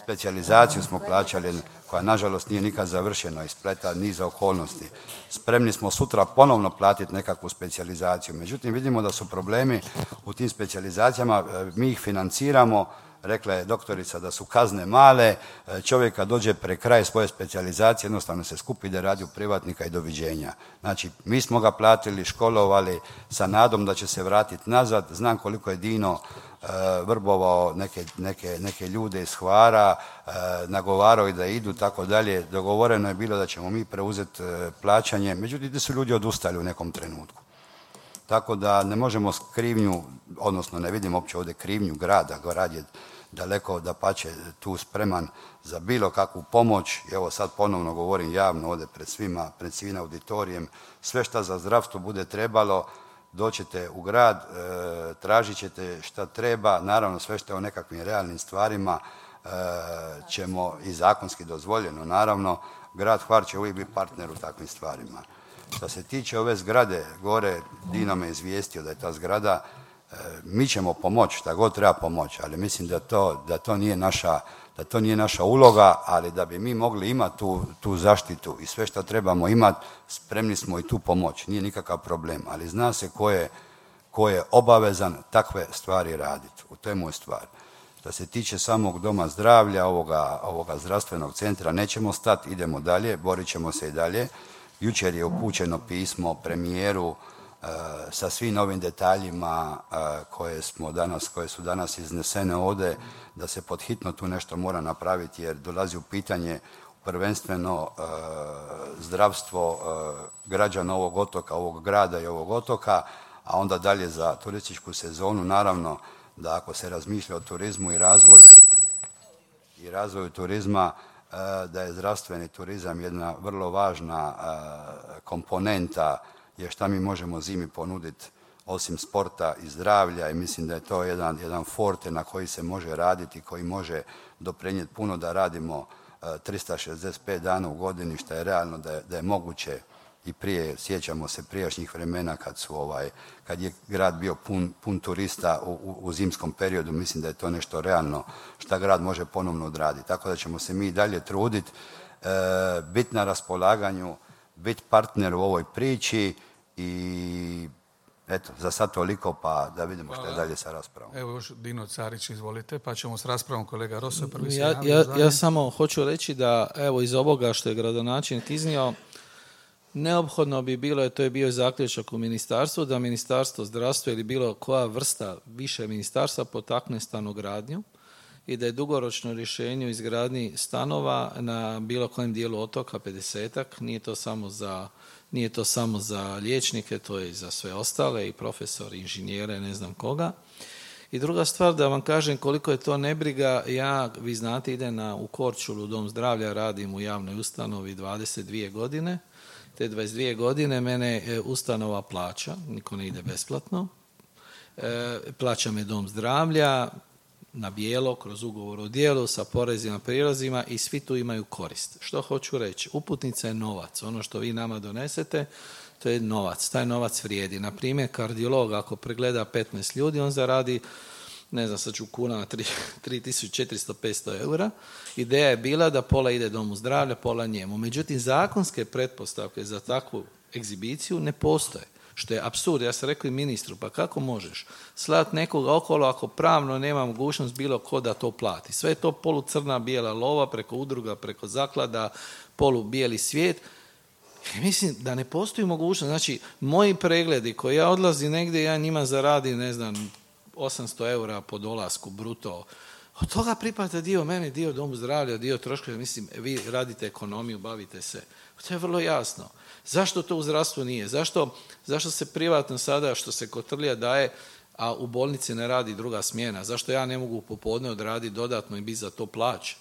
specijalizaciju smo plaćali, koja nažalost nije nikad završena, ispleta niza okolnosti. Spremni smo sutra ponovno platiti nekakvu specijalizaciju, međutim vidimo da su problemi u tim specijalizacijama, mi ih financiramo. Rekla je doktorica da su kazne male, čovjek kad dođe pre kraj svoje specijalizacije jednostavno se skupi da radi u privatnika i doviđenja. Znači, mi smo ga platili, školovali sa nadom da će se vratiti nazad. Znam koliko je Dino vrbovao neke ljude iz Hvara, nagovarao i da idu, tako dalje. Dogovoreno je bilo da ćemo mi preuzeti plaćanje, međutim, su ljudi odustali u nekom trenutku. Tako da ne možemo krivnju, odnosno ne vidim uopće ovdje krivnju grada, grad je daleko dapače tu spreman za bilo kakvu pomoć. I evo sad ponovno govorim javno ovdje pred svim auditorijem, sve što za zdravstvo bude trebalo, doćete u grad, tražit ćete šta treba, naravno sve što je o nekakvim realnim stvarima ćemo i zakonski dozvoljeno, naravno, grad Hvar će uvijek biti partner u takvim stvarima. Što se tiče ove zgrade, gore Dino me izvijestio da je ta zgrada, mi ćemo pomoći, šta god treba pomoći, ali mislim da to nije da to nije naša uloga, ali da bi mi mogli imati tu zaštitu i sve što trebamo imati, spremni smo i tu pomoć. Nije nikakav problem, ali zna se ko je obavezan takve stvari raditi. To je moj stvar. Što se tiče samog doma zdravlja, ovoga zdravstvenog centra, nećemo stati, idemo dalje, borit ćemo se i dalje. Jučer je upućeno pismo premijeru sa svim novim detaljima koje su danas iznesene ovdje, da se pod hitno tu nešto mora napraviti jer dolazi u pitanje prvenstveno zdravstvo građana ovog otoka, ovog grada i ovog otoka, a onda dalje za turističku sezonu. Naravno da ako se razmišlja o turizmu i razvoju turizma, da je zdravstveni turizam jedna vrlo važna komponenta je šta mi možemo zimi ponuditi osim sporta i zdravlja i mislim da je to jedan forte na koji se može raditi, koji može doprinijeti puno da radimo 365 dana u godini, što je realno da je moguće i prije, sjećamo se prijašnjih vremena kad je grad bio pun turista u zimskom periodu, mislim da je to nešto realno što grad može ponovno odraditi. Tako da ćemo se mi i dalje truditi, biti na raspolaganju, biti partner u ovoj priči i eto, za sad toliko, pa da vidimo što je dalje sa raspravom. Evo još Dino Carić, izvolite, pa ćemo s raspravom kolega Roso prvi. Ja samo hoću reći da evo iz ovoga što je gradonačelnik iznio, neophodno bi bilo, to je bio zaključak u ministarstvu, da Ministarstvo zdravstva ili bilo koja vrsta više ministarstva potakne stanogradnju i da je dugoročno rješenje u izgradnji stanova na bilo kojem dijelu otoka 50-ak, nije to samo za liječnike, to je i za sve ostale, i profesori, inženjere, ne znam koga. I druga stvar, da vam kažem koliko je to nebriga, vi znate, idem u Korčulu, u Dom zdravlja, radim u javnoj ustanovi 22 godine. Te 22 godine mene ustanova plaća, niko ne ide besplatno. Plaća me Dom zdravlja na bijelo, kroz ugovor o djelu, sa porezima, prirozima i svi tu imaju korist. Što hoću reći? Uputnica je novac. Ono što vi nama donesete, to je novac. Taj novac vrijedi. Na primjer, kardiolog ako pregleda 15 ljudi, on zaradi, ne znam, sad ću kunama, 3400-500 eura. Ideja je bila da pola ide Domu zdravlja, pola njemu. Međutim, zakonske pretpostavke za takvu egzibiciju ne postoje. Što je apsurd. Ja sam rekao i ministru, pa kako možeš slati nekoga okolo ako pravno nema mogućnost bilo ko da to plati. Sve je to polucrna bijela lova preko udruga, preko zaklada, polu bijeli svijet. I mislim da ne postoji mogućnost. Znači, moji pregledi koji ja odlazim negdje, ja njima zaradim, ne znam, 800 eura po dolasku bruto. Od toga pripada dio mene, dio Domu zdravlja, dio troškova. Mislim, vi radite ekonomiju, bavite se. To je vrlo jasno. Zašto to u zdravstvu nije? Zašto se privatno sada, što se kotrlja daje, a u bolnici ne radi druga smjena? Zašto ja ne mogu popodne odraditi dodatno i biti za to plaća?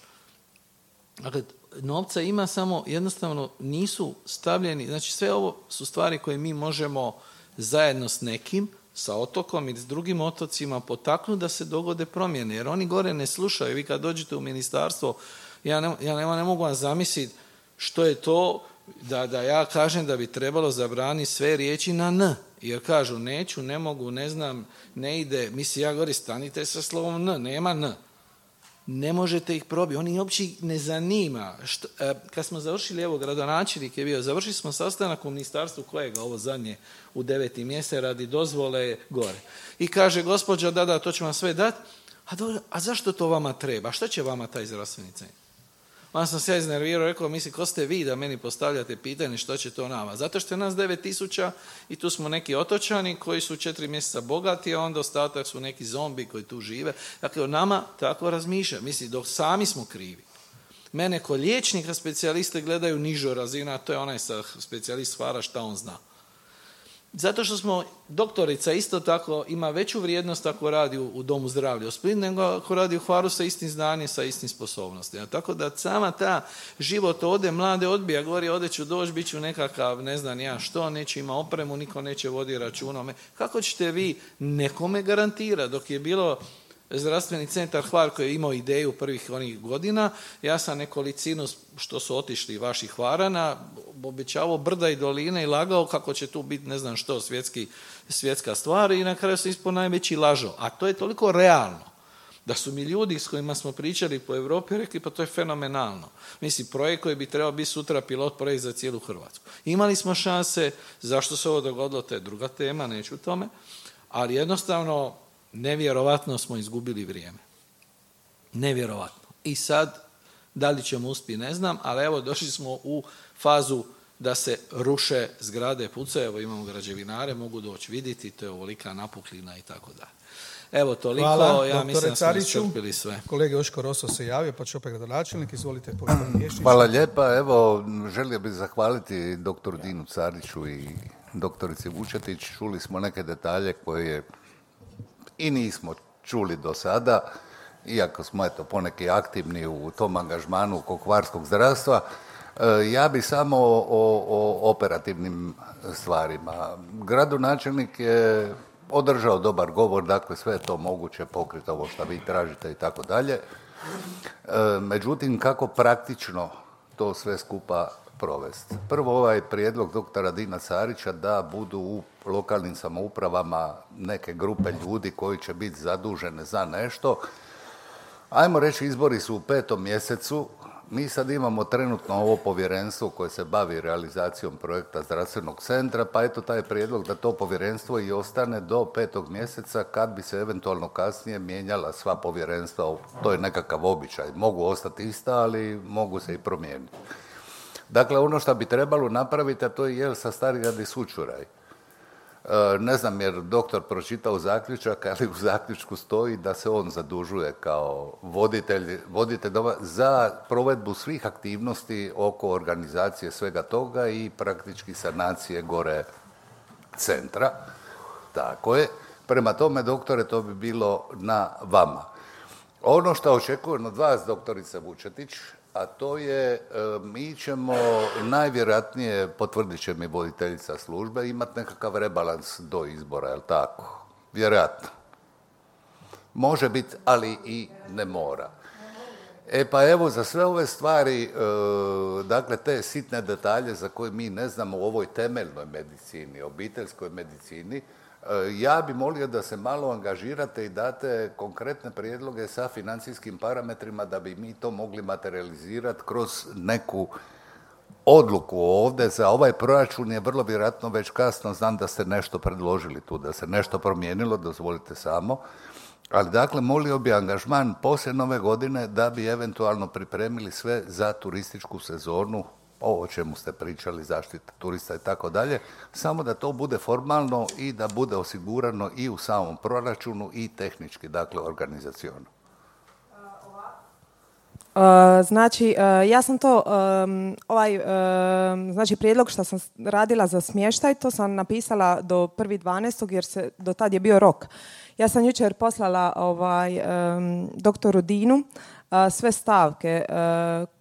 Dakle, novca ima, samo jednostavno nisu stavljeni. Znači, sve ovo su stvari koje mi možemo zajedno s nekim, sa otokom i s drugim otocima potaknuti da se dogode promjene. Jer oni gore ne slušaju. Vi kad dođete u ministarstvo, ja ne mogu vam zamisliti što je to da ja kažem da bi trebalo zabraniti sve riječi na N. Jer kažu neću, ne mogu, ne znam, ne ide. Mislim, ja govorim, stanite sa slovom N, nema N. Ne možete ih probiti. Oni uopće ne zanima. Kad smo završili, evo, gradonačelnik je bio, završili smo sastanak u ministarstvu kojega, ovo zadnje, u 9. mjesec radi dozvole gore. I kaže, gospođa, da, to ću vam sve dati. A zašto to vama treba? Šta će vama taj zdravstveni centar? Onda sam se ja iznervirao, rekao, misli, ko ste vi da meni postavljate pitanje što će to nama? Zato što je nas 9000 i tu smo neki otočani koji su 4 mjeseca bogati, a onda ostatak su neki zombi koji tu žive. Dakle, o nama tako razmišlja. Misli, dok sami smo krivi. Mene ko liječnika specijaliste gledaju nižo razina, a to je onaj specijalist Hvara, šta on zna. Zato što smo, doktorica isto tako ima veću vrijednost ako radi u Domu zdravlja u Splitu, nego ako radi u Hvaru sa istim znanjem, sa istim sposobnostima. Tako da sama ta život ode, mlade odbija, govori, ode ću doći, bit ću nekakav, ne znam ja što, neće ima opremu, niko neće vodi računa. Kako ćete vi nekome garantirati? Dok je bilo zdravstveni centar Hvar koji je imao ideju prvih onih godina, ja sam nekolicinu što su otišli vaših Hvarana obećavao brda i doline i lagao kako će tu biti ne znam što svjetska stvar i na kraju sam ispao najveći lažo. A to je toliko realno Da su mi ljudi s kojima smo pričali po Europi rekli pa to je fenomenalno. Mislim, projekt koji bi trebao biti sutra pilot projekt za cijelu Hrvatsku. Imali smo šanse, zašto se ovo dogodilo, to je druga tema, neću o tome, ali jednostavno nevjerovatno smo izgubili vrijeme. Nevjerovatno. I sad, da li ćemo uspjeti, ne znam, ali evo došli smo u fazu da se ruše zgrade, pucaju, evo imamo građevinare, mogu doći vidjeti, to je ovolika napuklina i tako dalje. Evo toliko, hvala, ja mislim da smo iscrpili sve. Kolege Joško Roso se javio, pa će opet gradonačelnik, izvolite. Hvala lijepa, evo želio bih zahvaliti doktoru Dinu Cariću i doktorici Vučetić. Čuli smo neke detalje koje i nismo čuli do sada, iako smo eto poneki aktivni u tom angažmanu oko hvarskog zdravstva. Ja bi samo o operativnim stvarima. Gradonačelnik je održao dobar govor, dakle sve je to moguće pokriti ovo što vi tražite i tako dalje. Međutim, kako praktično to sve skupa provesti? Prvo, ovaj prijedlog doktora Dina Carića da budu u lokalnim samoupravama neke grupe ljudi koji će biti zadužene za nešto. Ajmo reći, izbori su u 5. mjesecu. Mi sad imamo trenutno ovo povjerenstvo koje se bavi realizacijom projekta zdravstvenog centra, pa eto taj prijedlog da to povjerenstvo i ostane do 5. mjeseca kad bi se eventualno kasnije mijenjala sva povjerenstva. To je nekakav običaj. Mogu ostati ista, ali mogu se i promijeniti. Dakle, ono što bi trebalo napraviti, a to je jel sa Starigrad i Sućuraj. Ne znam jer doktor pročitao zaključak, ali u zaključku stoji da se on zadužuje kao voditelj za provedbu svih aktivnosti oko organizacije svega toga i praktički sanacije gore centra. Tako je. Prema tome, doktore, to bi bilo na vama. Ono što očekujem od vas, doktorice Vučetić, a to je, mi ćemo najvjerojatnije, potvrdit će mi voditeljica službe, imati nekakav rebalans do izbora, je li tako? Vjerojatno. Može biti, ali i ne mora. Pa evo, za sve ove stvari, dakle, te sitne detalje za koje mi ne znamo u ovoj temeljnoj medicini, obiteljskoj medicini, ja bi molio da se malo angažirate i date konkretne prijedloge sa financijskim parametrima da bi mi to mogli materializirati kroz neku odluku ovdje. Za ovaj proračun je vrlo vjerojatno već kasno, znam da ste nešto predložili tu, da se nešto promijenilo, dozvolite samo. Ali dakle, molio bi angažman poslije Nove godine da bi eventualno pripremili sve za turističku sezonu, ovo o čemu ste pričali, zaštita turista i tako dalje, samo da to bude formalno i da bude osigurano i u samom proračunu i tehnički, dakle organizaciono. Znači, ja sam to, znači prijedlog što sam radila za smještaj, to sam napisala do 1.12. jer se do tad je bio rok. Ja sam jučer poslala doktoru Dinu sve stavke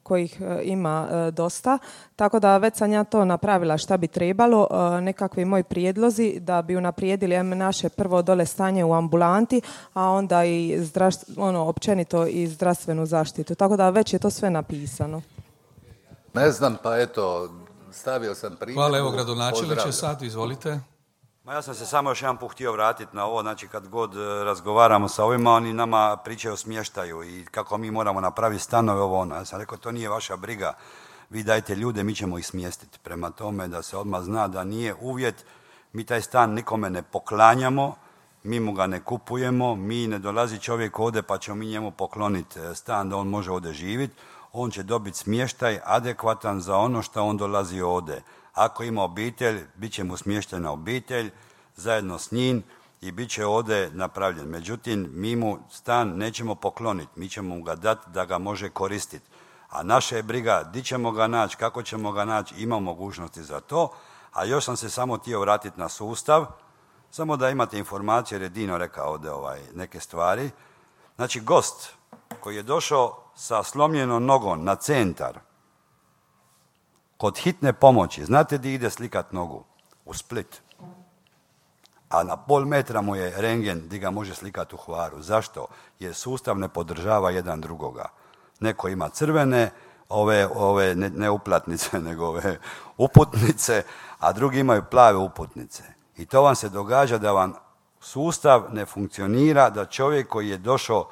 kojih ima dosta, tako da već sam ja to napravila šta bi trebalo, nekakvi moji prijedlozi da bi unaprijedili naše prvo dole stanje u ambulanti, a onda i općenito i zdravstvenu zaštitu. Tako da već je to sve napisano. Ne znam, pa eto, stavio sam primjedbu. Hvala, evo gradonačelniče sad, izvolite. Ja sam se samo još jedan put htio vratiti na ovo, znači kad god razgovaramo sa ovima, oni nama pričaju o smještaju i kako mi moramo napraviti stanove, ovo ono. Ja sam rekao, to nije vaša briga, vi dajte ljude, mi ćemo ih smjestiti. Prema tome da se odmah zna da nije uvjet, mi taj stan nikome ne poklanjamo, mi mu ga ne kupujemo, mi ne dolazi čovjek ovdje pa ćemo mi njemu pokloniti stan da on može ovdje živjeti, on će dobiti smještaj adekvatan za ono što on dolazi ovdje. Ako ima obitelj, bit će mu smještena obitelj zajedno s njim i bit će ovdje napravljen. Međutim, mi mu stan nećemo pokloniti, mi ćemo mu ga dati da ga može koristiti. A naša je briga di ćemo ga naći, kako ćemo ga naći, ima mogućnosti za to. A još sam se samo htio vratiti na sustav, samo da imate informacije, jer je Dino rekao ovdje neke stvari. Znači, gost koji je došao sa slomljenom nogom na centar, kod hitne pomoći, znate di ide slikat nogu? U Split. A na pol metra mu je rentgen di ga može slikati u Hvaru. Zašto? Jer sustav ne podržava jedan drugoga. Neko ima crvene, ove ne uplatnice, nego ove uputnice, a drugi imaju plave uputnice. I to vam se događa da vam sustav ne funkcionira, da čovjek koji je došao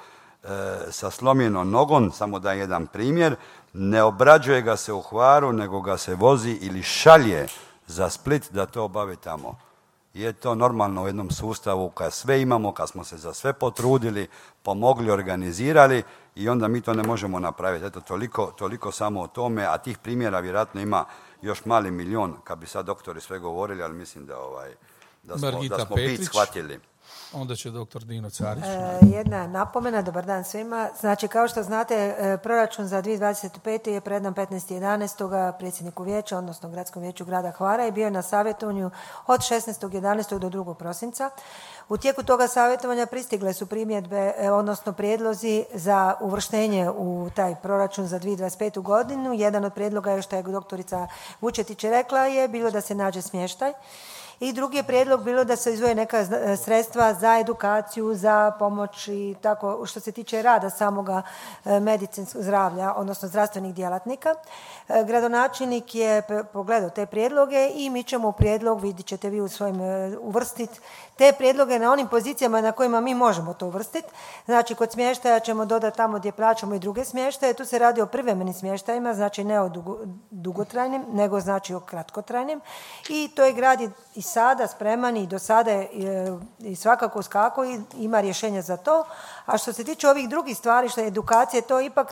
sa slomljenom nogom, samo da jedan primjer, ne obrađuje ga se u Hvaru, nego ga se vozi ili šalje za Split da to obavi tamo. Je to normalno u jednom sustavu kad sve imamo, kad smo se za sve potrudili, pomogli, organizirali i onda mi to ne možemo napraviti. Eto, toliko samo o tome, a tih primjera vjerojatno ima još mali milion, kad bi sad doktori sve govorili, ali mislim da smo bit shvatili. Onda će doktor Dino Carić. Jedna napomena, dobar dan svima. Znači, kao što znate, proračun za 2025. je predan 15.11. predsjedniku vijeća, odnosno Gradskom vijeću grada Hvara i bio je na savjetovanju od 16.11. do 2. prosinca. U tijeku toga savjetovanja pristigle su primjedbe, odnosno prijedlozi za uvrštenje u taj proračun za 2025. godinu. Jedan od prijedloga je, što je doktorica Vučetić rekla, je bilo da se nađe smještaj. I drugi je prijedlog bilo da se izdvoje neka sredstva za edukaciju, za pomoć i tako što se tiče rada samoga medicinskog zdravlja, odnosno zdravstvenih djelatnika. Gradonačelnik je pogledao te prijedloge i mi ćemo u prijedlog, vidjet ćete vi u svojim, uvrstiti te prijedloge na onim pozicijama na kojima mi možemo to uvrstiti. Znači, kod smještaja ćemo dodati tamo gdje plaćamo i druge smještaje. Tu se radi o privremenim smještajima, znači ne o dugotrajnim, nego znači o kratkotrajnim. I to je grad i sada spreman i do sada je i svakako skako i ima rješenja za to. A što se tiče ovih drugih stvari, što je edukacije,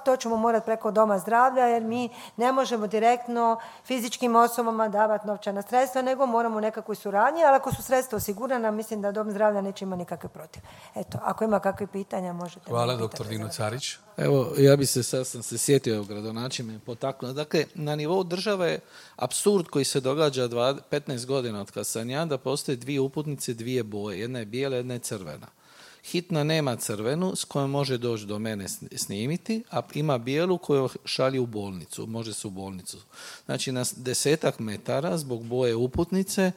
to ćemo morati preko doma zdravlja, jer mi ne možemo direktno fizičkim osobama davati novčana sredstva, nego moramo nekakvoj suradnji, ali ako su sredstva osigurana, mislim da dom zdravlja neće imati nikakve protiv. Eto, ako ima kakve pitanja, možete... Hvala, doktor Dino Carić. Evo, ja bi sad sam se sjetio gradonačelnika potaknuo. Dakle, na nivou države apsurd koji se događa 15 godina od kad sam ja, da postoje dvije uputnice, dvije boje. Jedna je bijela, jedna je crvena. Hitna nema crvenu s kojom može doći do mene snimiti, a ima bijelu koju šalje u bolnicu, može se u bolnicu. Znači na 10 metara zbog boje uputnice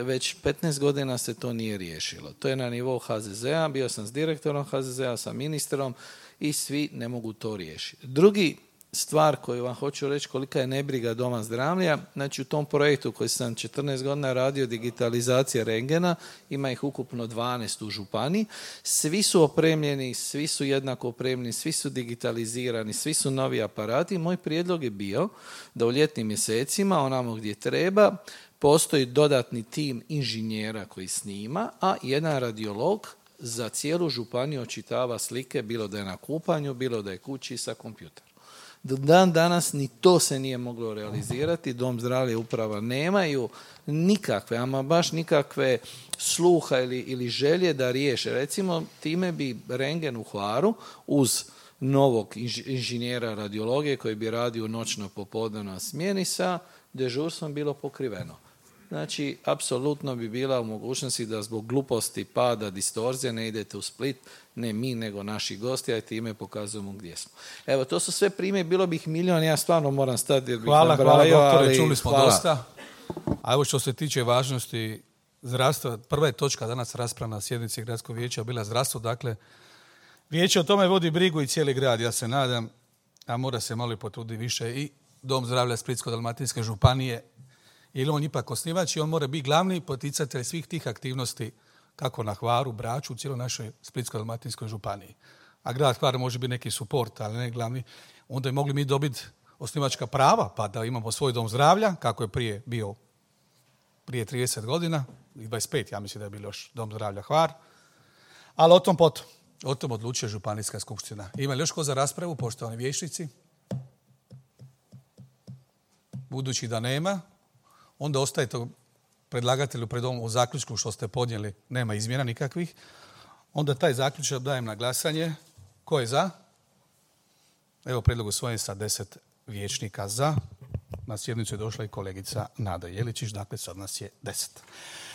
već 15 godina se to nije riješilo. To je na nivou HZZ-a, bio sam s direktorom HZZ-a, sa ministrom i svi ne mogu to riješiti. Drugi stvar koju vam hoću reći kolika je nebriga doma zdravlja, znači u tom projektu koji sam 14 godina radio, digitalizacija rengena, ima ih ukupno 12 u županiji, svi su opremljeni, svi su jednako opremljeni, svi su digitalizirani, svi su novi aparati. Moj prijedlog je bio da u ljetnim mjesecima, onamo gdje treba, postoji dodatni tim inženjera koji snima, a jedan radiolog za cijelu županiju očitava slike, bilo da je na kupanju, bilo da je kući sa kompjuterom. Do dan danas ni to se nije moglo realizirati, dom zdravlja i uprava nemaju nikakve, ama baš nikakve sluha ili želje da riješe. Recimo, time bi rengen u Hvaru uz novog inženjera radiologije koji bi radio u noćno popodnevnoj smjeni sa dežurstvom bilo pokriveno. Znači, apsolutno bi bila u mogućnosti da zbog gluposti, pada, distorzije ne idete u Split, ne mi, nego naši gosti, a time pokazujemo gdje smo. Evo, to su sve primjer, bilo bih milion, ja stvarno moram stati jer bih nabrajao. Hvala, doktore, čuli smo dosta. A evo što se tiče važnosti zdravstva, prva je točka danas rasprava na sjednici Gradskog vijeća bila zdravstvo, dakle, vijeće o tome vodi brigu i cijeli grad, ja se nadam, a mora se malo potruditi više i Dom zdravlja Splitsko-dalmatinske županije, jer on ipak osnivač i on mora biti glavni poticatelj svih tih aktivnosti kako na Hvaru, Braču, u cijeloj našoj Splitsko-dalmatinskoj županiji. A grad Hvar može biti neki suport, ali ne glavni. Onda je mogli mi dobiti osnivačka prava, pa da imamo svoj dom zdravlja, kako je prije bio prije 30 godina, i 25, ja mislim da je bilo još dom zdravlja Hvar. Ali o tom potom. O tom odlučuje županijska skupština. Ima li još ko za raspravu, poštovani vijećnici? Budući da nema, onda ostaje to predlagatelju pred ovom u zaključku što ste podnijeli, nema izmjena nikakvih. Onda taj zaključak dajem na glasanje. Ko je za? Evo prijedlog usvojen sa 10 vijećnika za. Na sjednicu je došla i kolegica Nada Jeličić, dakle sad nas je 10.